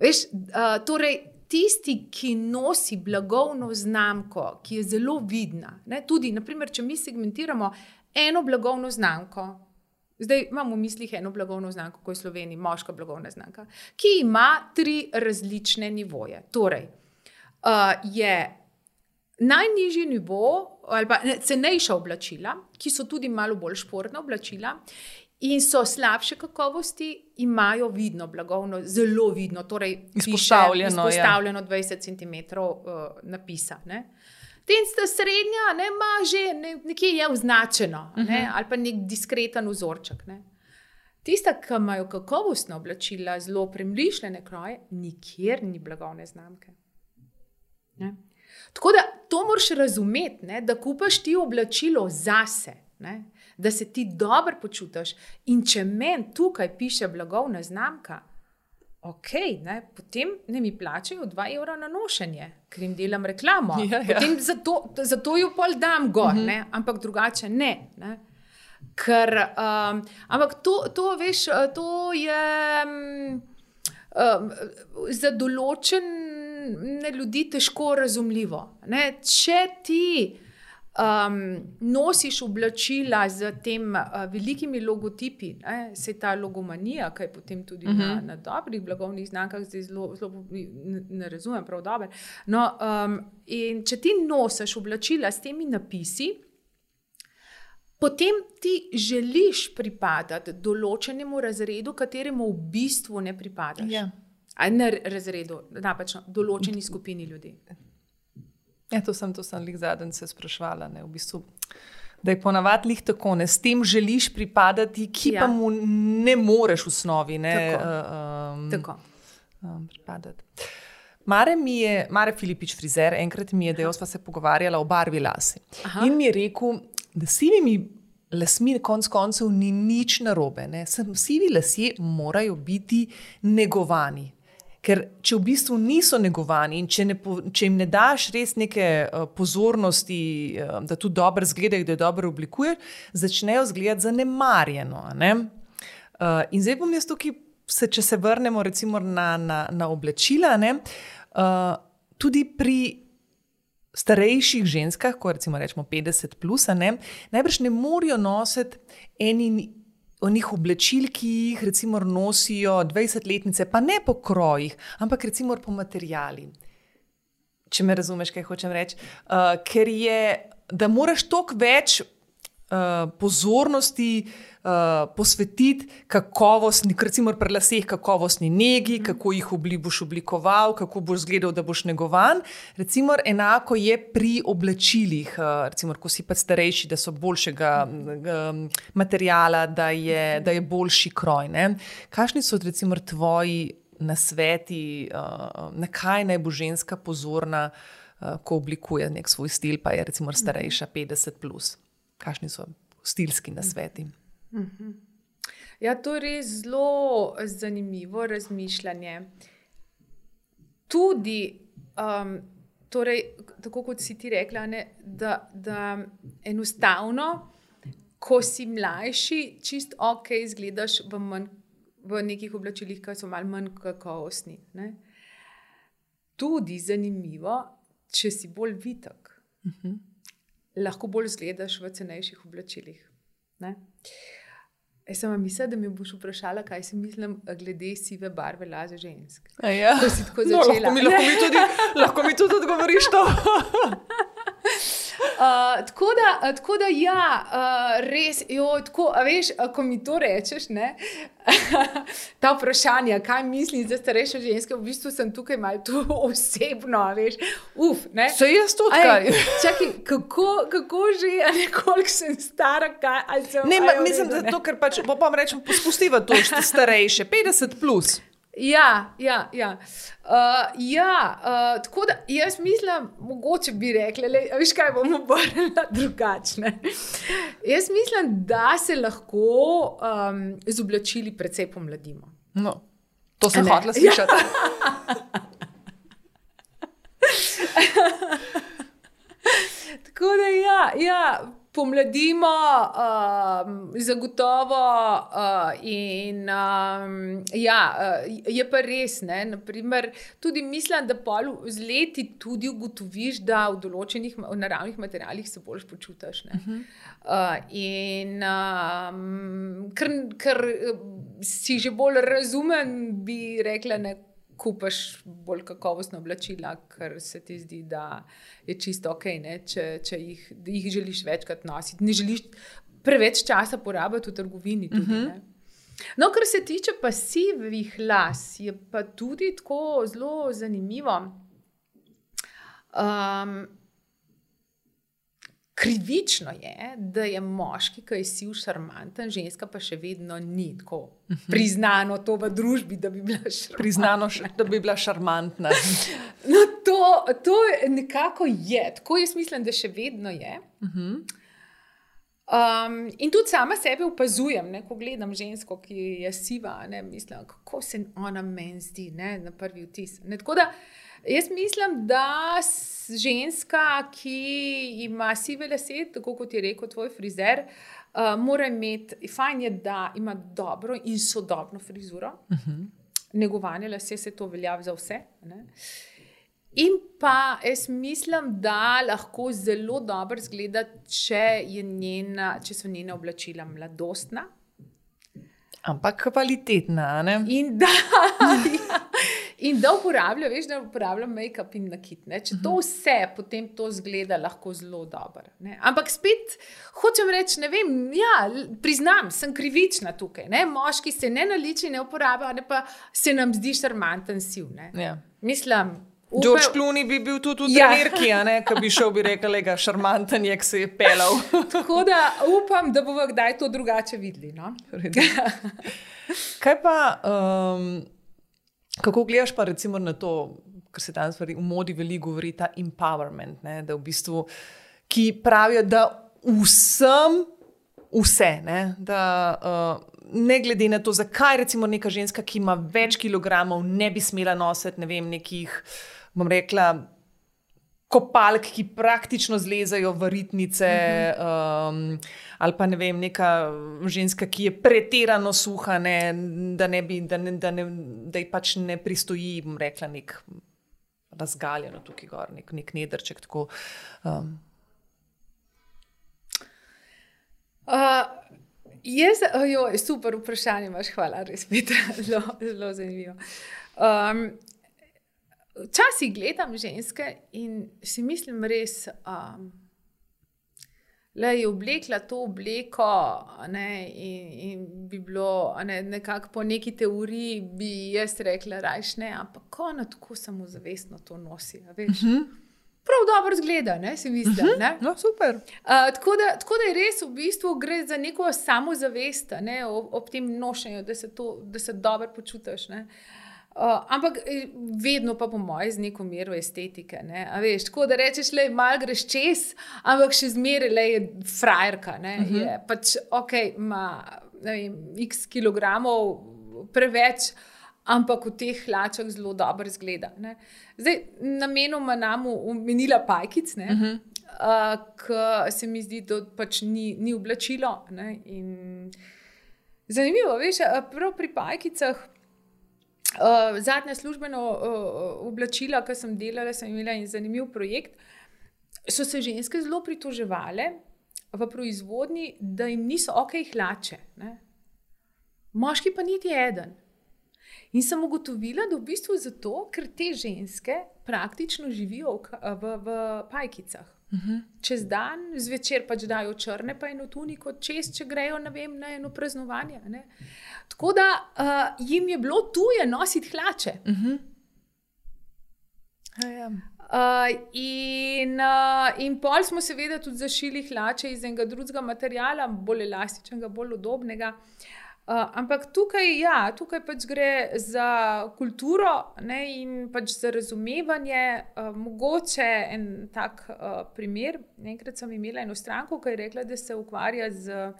B: Veš, uh, torej, tisti, ki nosi blagovno znamko, ki je zelo vidna, ne, tudi, naprimer, če mi segmentiramo eno blagovno znamko, zdaj imamo v mislih eno blagovno znamko, ko je v Sloveniji moška blagovna znamka, ki ima tri različne nivoje. Torej, uh, je najnižji nivo, ali pa ne, cenejša oblačila, ki so tudi malo bolj športna oblačila, in so slabše kakovosti, imajo vidno blagovno, zelo vidno, torej
A: izpostavljeno,
B: piše, izpostavljeno ja. dvajset centimetrov uh, napisa. Ne? Tista srednja ne, ima že ne, nekje je označeno, uh-huh. ne, ali pa nek diskreten vzorček. Ne? Tista, ki imajo kakovostna oblačila, zelo premišljene kroje, nikjer ni blagovne znamke. Ne? Tako da to moraš razumeti, ne, da kupaš ti oblačilo zase, ne, da se ti dobro počutiš. In če meni tukaj piše blagovna znamka, ok, ne, potem ne mi plačajo dva evra na nošenje, ker jim delam reklamo.
A: Ja, ja.
B: Potem zato, zato jo pol dam gor, uh-huh. ne, ampak drugače ne. ne. Ker, um, ampak to, to, veš, to je um, um, za določene ljudi težko razumljivo. Ne. Če ti Um, nosiš oblačila z tem uh, velikimi logotipi, ne, se ta logomanija, kaj potem tudi uh-huh. na, na dobrih blagovnih znamkah, zdaj zelo, zelo ne, ne razumem prav dobro. No, um, in če ti nosiš oblačila s temi napisi, potem ti želiš pripadati določenemu razredu, kateremu v bistvu ne pripadaš.
A: Ja.
B: A ne razredu, napačno, določeni skupini ljudi.
A: Ja, to sem, to sem lih zadnjič se sprašvala, ne, v bistvu, da je ponavadi lih tako, ne, s tem želiš pripadati, ki ja. pa mu ne moreš v osnovi, ne,
B: tako.
A: Um,
B: tako.
A: Um, pripadati. Mare mi je, Mare Filipič, frizer, enkrat mi je, da sva se pogovarjala o barvi lase. Aha. In mi je rekel, da sivimi lasmi konc koncev ni nič narobe, ne, sivi lasje morajo biti negovani. Ker če v bistvu niso negovani in če, ne, če jim ne daš res neke uh, pozornosti, uh, da tudi dobro izgledajo, da jo dobro oblikuješ, začnejo izgledati zanemarjeno. Ne? Uh, in zdaj bom jaz tukaj, se, če se vrnemo recimo na, na, na oblačila, ne? Uh, tudi pri starejših ženskah, ko recimo rečemo petdeset plus, ne? Najbrž ne morajo nositi eni onih oblečil, ki jih recimo nosijo dvajsetletnice, pa ne po krojih, ampak recimo po materiali. Če me razumeš, kaj hočem reči. Uh, ker je, da moraš toliko več uh, pozornosti uh, posvetiti kakovostni, recimo pri laseh kakovostni negi, mm. kako jih obli, boš oblikoval, kako boš izgledal, da boš negovan. Recimo enako je pri oblačilih, uh, recimo, ko si pa starejši, da so boljšega um, materijala, da je, da je boljši kroj. Ne? Kakšni so recimo tvoji nasveti, uh, na kaj naj bo ženska pozorna, uh, ko oblikuje nek svoj stil, pa je recimo starejša petdeset plus. Kakšni so stilski nasveti?
B: Ja, to je res zelo zanimivo razmišljanje. Tudi, um, torej, tako kot si ti rekla, ne, da, da enostavno, ko si mlajši, čist ok izgledaš v, manj, v nekih oblačilih, ki so malo manj kakovostni. Ne. Tudi zanimivo, če si bolj vitek. Uh-huh. Lahko bolj zgledaš v cenejših oblačilih. Ne? Jaz sem mislila, da mi boš vprašala, kaj si mislim glede sive barve lase žensk.
A: Ja.
B: Ko si tako začela.
A: No, lahko, mi, lahko, mi tudi, lahko mi tudi odgovoriš to.
B: Uh, tako, da, tako da ja, uh, res, jo, tako, a veš, ko mi to rečeš, ne, ta vprašanja, kaj mislim za starejše ženske, v bistvu sem tukaj malo tu osebno, a veš, uf, ne.
A: Se jaz to odkaj.
B: Čakaj, kako, kako že, a nekoliko sem stara, kaj, ali sem...
A: Ne, ma, mislim, da to, ker pač, pa pa rečem, pospustivo to starejše, petdeset plus.
B: Ja, ja, ja. Uh, ja uh, tako da jaz mislim, mogoče bi rekla, le, veš kaj, bomo obrnila drugačne. Jaz mislim, da se lahko um, z oblačili precej pomladimo.
A: No, to sem hotela slišati.
B: Tako da ja, ja. Pomladimo, uh, zagotovo uh, in um, ja, uh, je pa res, ne, naprimer, tudi mislim, da pol z leti tudi ugotoviš, da v določenih v naravnih materialih se bolj počutiš. Ne. Uh-huh. Uh, in um, ker, ker si že bolj razumen, bi rekla, ne, kupaš bolj kakovostna oblačila, ker se ti zdi, da je čisto ok, ne, če, če jih, jih želiš večkrat nositi. Ne želiš preveč časa porabiti v trgovini. Tudi, uh-huh. ne. No, kar se tiče pa sivih las, je pa tudi tako zelo zanimivo. Um, krivično je, da je moški, ki je siv šarmanten, ženska pa še vedno ni tako priznano to v družbi, da bi bila šarmantna.
A: Priznano, da bi bila šarmantna.
B: No, to, to nekako je. Tako jaz mislim, da še vedno je. Uh-huh. Um, in tudi sama sebe opazujem, ne, ko gledam žensko, ki je siva, ne, mislim, kako se ona meni zdi, ne, na prvi vtis. Ne, tako da jaz mislim, da ženska, ki ima sive lase, tako kot je rekel tvoj frizer, uh, mora imeti, fajn je, da ima dobro in sodobno frizuro. Uh-huh. Negovanje lase, se to velja za vse. Ne? In pa jaz mislim, da lahko zelo dobro izgleda, če, je njena, če so njena oblačila mladostna.
A: Ampak kvalitetna, ne?
B: In da, ja, in da uporablja, veš, da uporablja make-up in nakit. Ne? Če to vse, potem to zgleda lahko zelo dobro. Ne? Ampak spet, hočem reči, ne vem, ja, priznam, sem krivična tukaj. Ne? Moški se ne naliči, ne uporablja, ne pa se nam zdi šarmanten siv. Ne? Ja. Mislim...
A: Upe... George Clooney bi bil tudi v trenerki, ja. Ko bi šel, bi rekel, ga šarmanten je, ki se je pelal.
B: Tako da upam, da bomo kdaj to drugače videli. No?
A: Kaj pa, um, kako gledaš pa recimo na to, kar se danes v modi veliko govori, ta empowerment, ne? Da v bistvu, ki pravijo, da vsem vse, ne? Da uh, ne glede na to, zakaj recimo neka ženska, ki ima več kilogramov, ne bi smela nositi, ne vem, nekih, bom rekla, kopalk, ki praktično zlezajo v ritnice, um, ali pa ne vem, neka ženska, ki je pretirano suha, ne, da, ne bi, da, ne, da, ne, da ji pač ne pristoji, bom rekla, nek razgaljeno tukaj gor, nek, nek nedrček. Tako, um.
B: uh, jaz, ojo, super vprašanje imaš, hvala, res, Petra, zelo, zelo zanimivo. Um, Včasih gledam ženske in si mislim res, um, Le je oblekla to obleko, ne, in, in bi bilo ne, nekako po neki teoriji, bi jaz rekla, rajš ne, ampak ona tako samozavestno to nosi. Veš? Uh -huh. Prav dobro zgleda, ne, si mislim. Uh -huh.
A: No, super.
B: Uh, tako, da, tako da je res v bistvu gre za neko samozavest, ne, ob, ob tem nošenju, da se, to, da se dobro počutiš. Ne. Uh, ampak vedno pa po moji z neko mero estetike. Ne? Veš, tako da rečeš, da malo greš čez, ampak še zmeraj le je frajerka. Ne? Uh -huh. Je pač ok, ima x kilogramov preveč, ampak v teh hlačah zelo dobro izgleda. Ne? Zdaj, namenoma nam omenila pajkic, uh -huh. uh, ki se mi zdi, da pač ni, ni oblačilo. Ne? In zanimivo, veš, prav pri pajkicah. Uh, zadnja službeno uh, oblačila, ki sem delala, sem imela in zanimiv projekt, so se ženske zelo pritoževale v proizvodnji, da jim niso ok hlače. Ne? Moški pa niti eden. In sem ugotovila, da v bistvu zato, ker te ženske praktično živijo v, v, v pajkicah. Uh-huh. Čez dan, zvečer pač dajo črne, pa eno tuniko čez, če grejo na, vem, na eno praznovanje. Ne? Tako da uh, jim je bilo tuje nositi hlače.
A: Uh-huh.
B: uh, in, uh, in pol smo seveda tudi zašili hlače iz enega drugega materiala, bolj elastičnega, bolj udobnega. Uh, ampak tukaj, ja, tukaj pač gre za kulturo, ne, in pač za razumevanje. Uh, mogoče en tak uh, primer. Enkrat sem imela eno stranko, ki je rekla, da se ukvarja z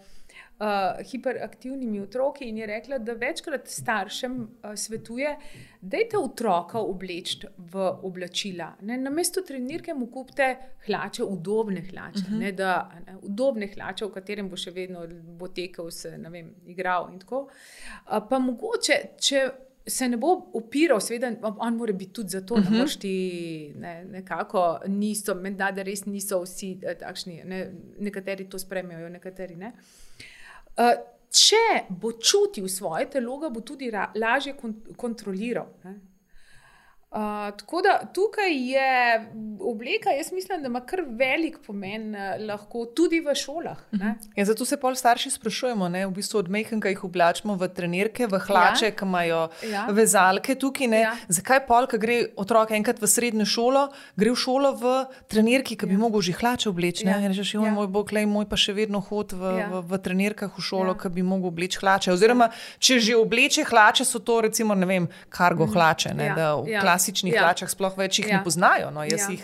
B: uh, hiperaktivnimi otroki in je rekla, da večkrat staršem uh, svetuje, dajte otroka obleči v oblačila. Ne, namesto trenirke mu kupite hlače, udobne hlače, uh-huh. ne, da, ne, udobne hlače, v katerem bo še vedno bo tekel, se, ne vem, igral in tako. Uh, pa mogoče, če se ne bo opiral, seveda, on mora biti tudi zato, uh-huh. da ti ne, nekako niso, menda, da res niso vsi takšni, ne, nekateri to spremljajo, nekateri ne. Uh, če bo čutil svoje telo, ga bo tudi ra, lažje kont- kontroliral. Ne. Uh, tako da tukaj je obleka, jaz mislim, da ima kar velik pomen uh, lahko tudi v šolah. Ne?
A: Ja, zato se pol starši sprašujemo, ne? V bistvu od majhnega jih oblačimo v trenirke, v hlače, ja. Ki imajo ja. Vezalke tukaj. Ne? Ja. Zakaj pol, ko gre otrok enkrat v srednjo šolo, gre v šolo v trenirki, ki bi ja. Mogel že hlače obleči. Ja. In rečeš, ja. Moj bog, lej, moj pa še vedno hod v, ja. v, v trenirkah v šolo, ja. Ki bi mogel obleči hlače. Oziroma, če že obleče hlače, so to recimo, ne vem, kargo hlače, ne? Ja. Da v ja. klasičnih ja. hlačah sploh več jih ja. ne poznajo. No, jaz ja. jih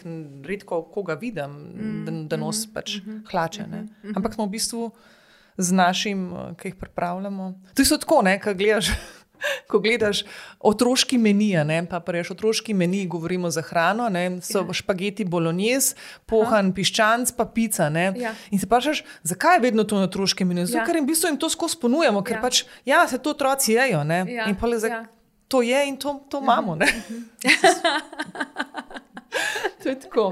A: redko koga vidim, mm. da, da nos pač mm-hmm. hlače. Ne. Mm-hmm. Ampak smo v bistvu z našim, ki jih pripravljamo. To so tako, ne, ko gledaš, ko gledaš otroški meni, ne, pa prejš otroški meni, govorimo za hrano, ne, so ja. Špageti bolognese, pohan Aha. Piščanc, pa pica. Ne. Ja. In se vprašaš, zakaj je vedno to na otroškem meniju? Zato, ja. Ker jim v bistvu jim to skozi ponujamo, ker ja. Pač, ja, se to otroci jejo. Ne. Ja. In pa le za... Ja. To je in to, to imamo. Ne? To je tako.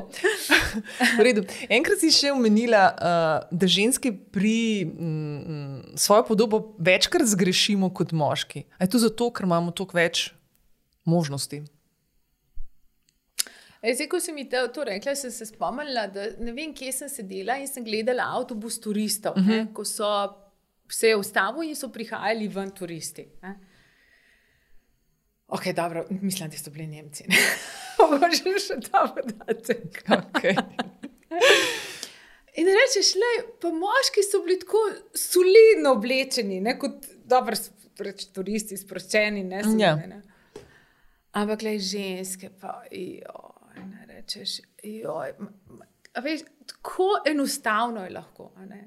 A: V redu. Enkrat si še omenila, uh, da ženske pri mm, svojo podobo večkrat zgrešimo kot moški. A je to zato, ker imamo toliko več možnosti?
B: Zdaj, ko si mi to, to rekla, sem se spomnila, da ne vem, kje sem sedela in sem gledala avtobus turistov, uh-huh. ne, ko so se ustavili in so prihajali ven turisti. Ne. Ok, dobro, mislim, da so bili Nemci. Mogoče še ta podatek.
A: Okay.
B: In rečeš, le, pa moški so bili tako solidno oblečeni, ne, kot dobro reč, turisti, sproščeni, ne, ja. ne. Ampak le, ženske pa, joj, ne rečeš, joj, a veš, tako enostavno je lahko, a ne.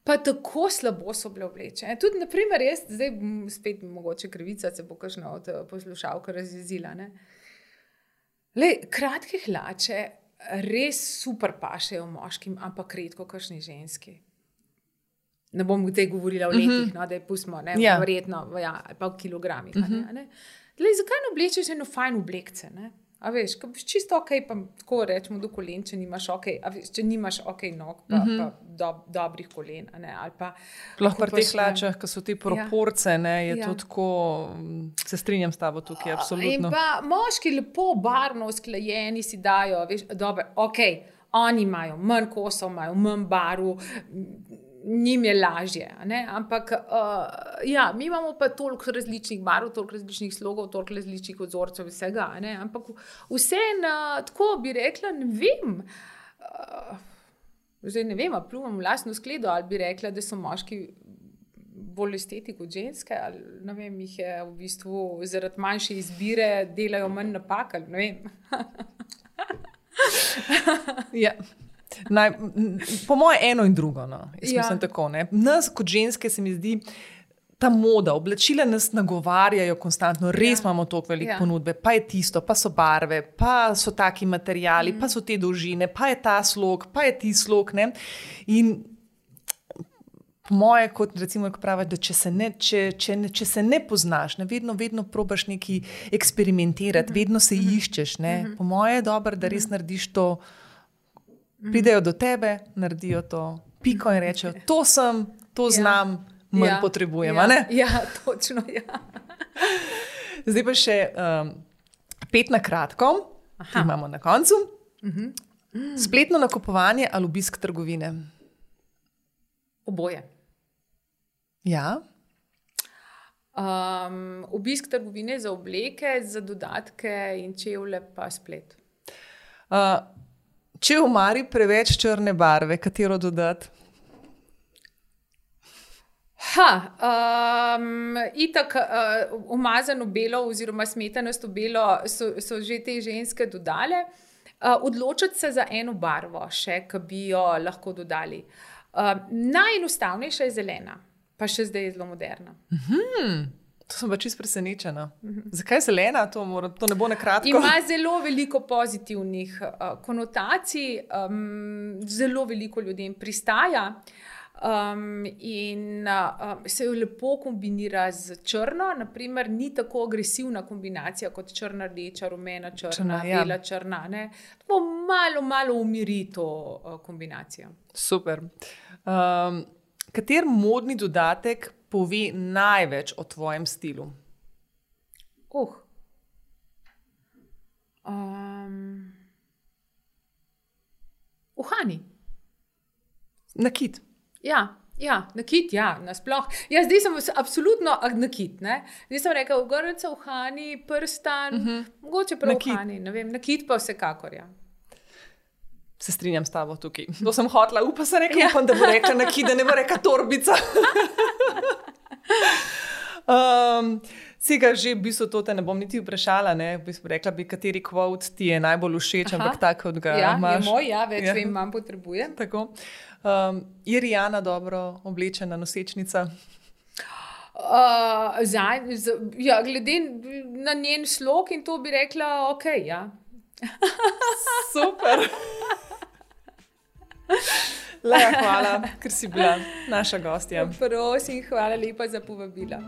B: Pa tako slabo so bile oblečene. Tudi, na primer, jaz, zdaj spet mogoče krivica, se bo kakšna od poslušalka razjezila. Ne? Lej, kratke hlače res super pašejo moškim, ampak redko kakšni ženski. Ne bom zdaj govorila o letih, mm-hmm. no, da je pustimo, ne, ja. Verjetno, ja, ali pa v kilogramih. Mm-hmm. Ne? Lej, zakaj ne oblečeš eno fajn oblekce, ne? A veš, ko biš čisto ok, pa tako rečemo do kolen, če nimaš ok, a veš, če nimaš ok nog, pa, mm-hmm. pa do, dobrih kolen, a ne, ali pa...
A: Sploh pri teh hlačah, ko so te proporce, ja. Ne, je ja. To tako, se strinjam s tabo tukaj, absolutno.
B: In pa moški lepo barno usklajeni si dajo, veš, dobro, ok, Oni imajo manj kosov, imajo manj barv, njim je lažje. Ne? Ampak uh, ja, mi imamo pa toliko različnih barv, toliko različnih slogov, toliko različnih vzorcev vsega. Ne? Ampak vseeno, tako bi rekla, ne vem. Uh, zdaj ne vem, a pljuvam v lastno skledo, ali bi rekla, da so moški bolj esteti kot ženske, ali ne vem, jih je v bistvu zaradi manjše izbire delajo manj napak, ali ne vem.
A: Ja. Naj, po moje eno in drugo. No.
B: Ja.
A: Tako, nas kot ženske se mi zdi, ta moda, oblačila nas nagovarjajo konstantno, res ja. Imamo toliko velike ja. Ponudbe, pa je tisto, pa so barve, pa so taki materijali, mm. pa so te dolžine, pa je ta slog, pa je ti slog. Ne? In po moje, kot recimo, pravi, da če se, ne, če, če, ne, če se ne poznaš, ne, vedno, vedno probaš nekaj eksperimentirati, mm-hmm. vedno se mm-hmm. iščeš. Ne? Mm-hmm. Po moje je dobro, da res narediš to. Pridejo do tebe, naredijo to piko in rečejo, to sem, to znam, ja, manj ja, potrebujem.
B: Ja,
A: ne?
B: ja, točno. Ja.
A: Zdaj pa še um, pet na kratko, ki imamo na koncu. Uh-huh. Mm. Spletno nakupovanje ali obisk trgovine?
B: Oboje.
A: Ja.
B: Um, obisk trgovine za obleke, za dodatke in čevlje pa splet.
A: Uh, Če v omari preveč črne barve, katero dodati?
B: Ha, um, itak uh, umazano belo oziroma smetanasto belo so, so že te ženske dodale. Uh, odločiti se za eno barvo še, ki bi jo lahko dodali. Uh, najenostavnejša je zelena, pa še zdaj je zelo moderna.
A: Mhm. To sem pa čisto presenečena. Mm-hmm. Zakaj zelena? To, mora, to ne bo na kratko.
B: Ima zelo veliko pozitivnih uh, konotacij, um, zelo veliko ljudem pristaja um, in uh, se jo lepo kombinira z črno. Naprimer, ni tako agresivna kombinacija kot črna, rdeča, rumena, črna, črna bela, ja. Črna. Ne? Tako malo, malo umiri to uh, kombinacijo.
A: Super. Um, kater modni dodatek pove največ o tvojem stilu?
B: Uh. Um. Uhani.
A: Nakit.
B: Ja, ja, nakit, ja, nasploh. Ja, zdaj sem absolutno nakit, ne. Zdaj sem rekel, ogrlica, uhani, prstan, uh-huh. mogoče prav nakit. Uhani, ne vem, nakit pa vsekakor, ja.
A: Se strinjam s tabo tukaj. To sem hotla, upa se nekaj, ja. Upam, da bo rekla nakit, da ne bo rekla torbica. um, Sega že v bistvu to te ne bom niti vprašala, ne? V bistvu rekla bi, kateri quote ti je najbolj všeč, Aha. ampak tak, kot ga
B: ja,
A: imaš.
B: Ja, je moj, ja, več ja. Vem, manj potrebujem.
A: Tako. Um, je Rijana dobro oblečena nosečnica?
B: Uh, za, z, ja, glede na njen slog in to bi rekla, ok, ja.
A: Super. Leja, hvala, ker si bila naša gostja.
B: Prosim, hvala lepa za povabilo.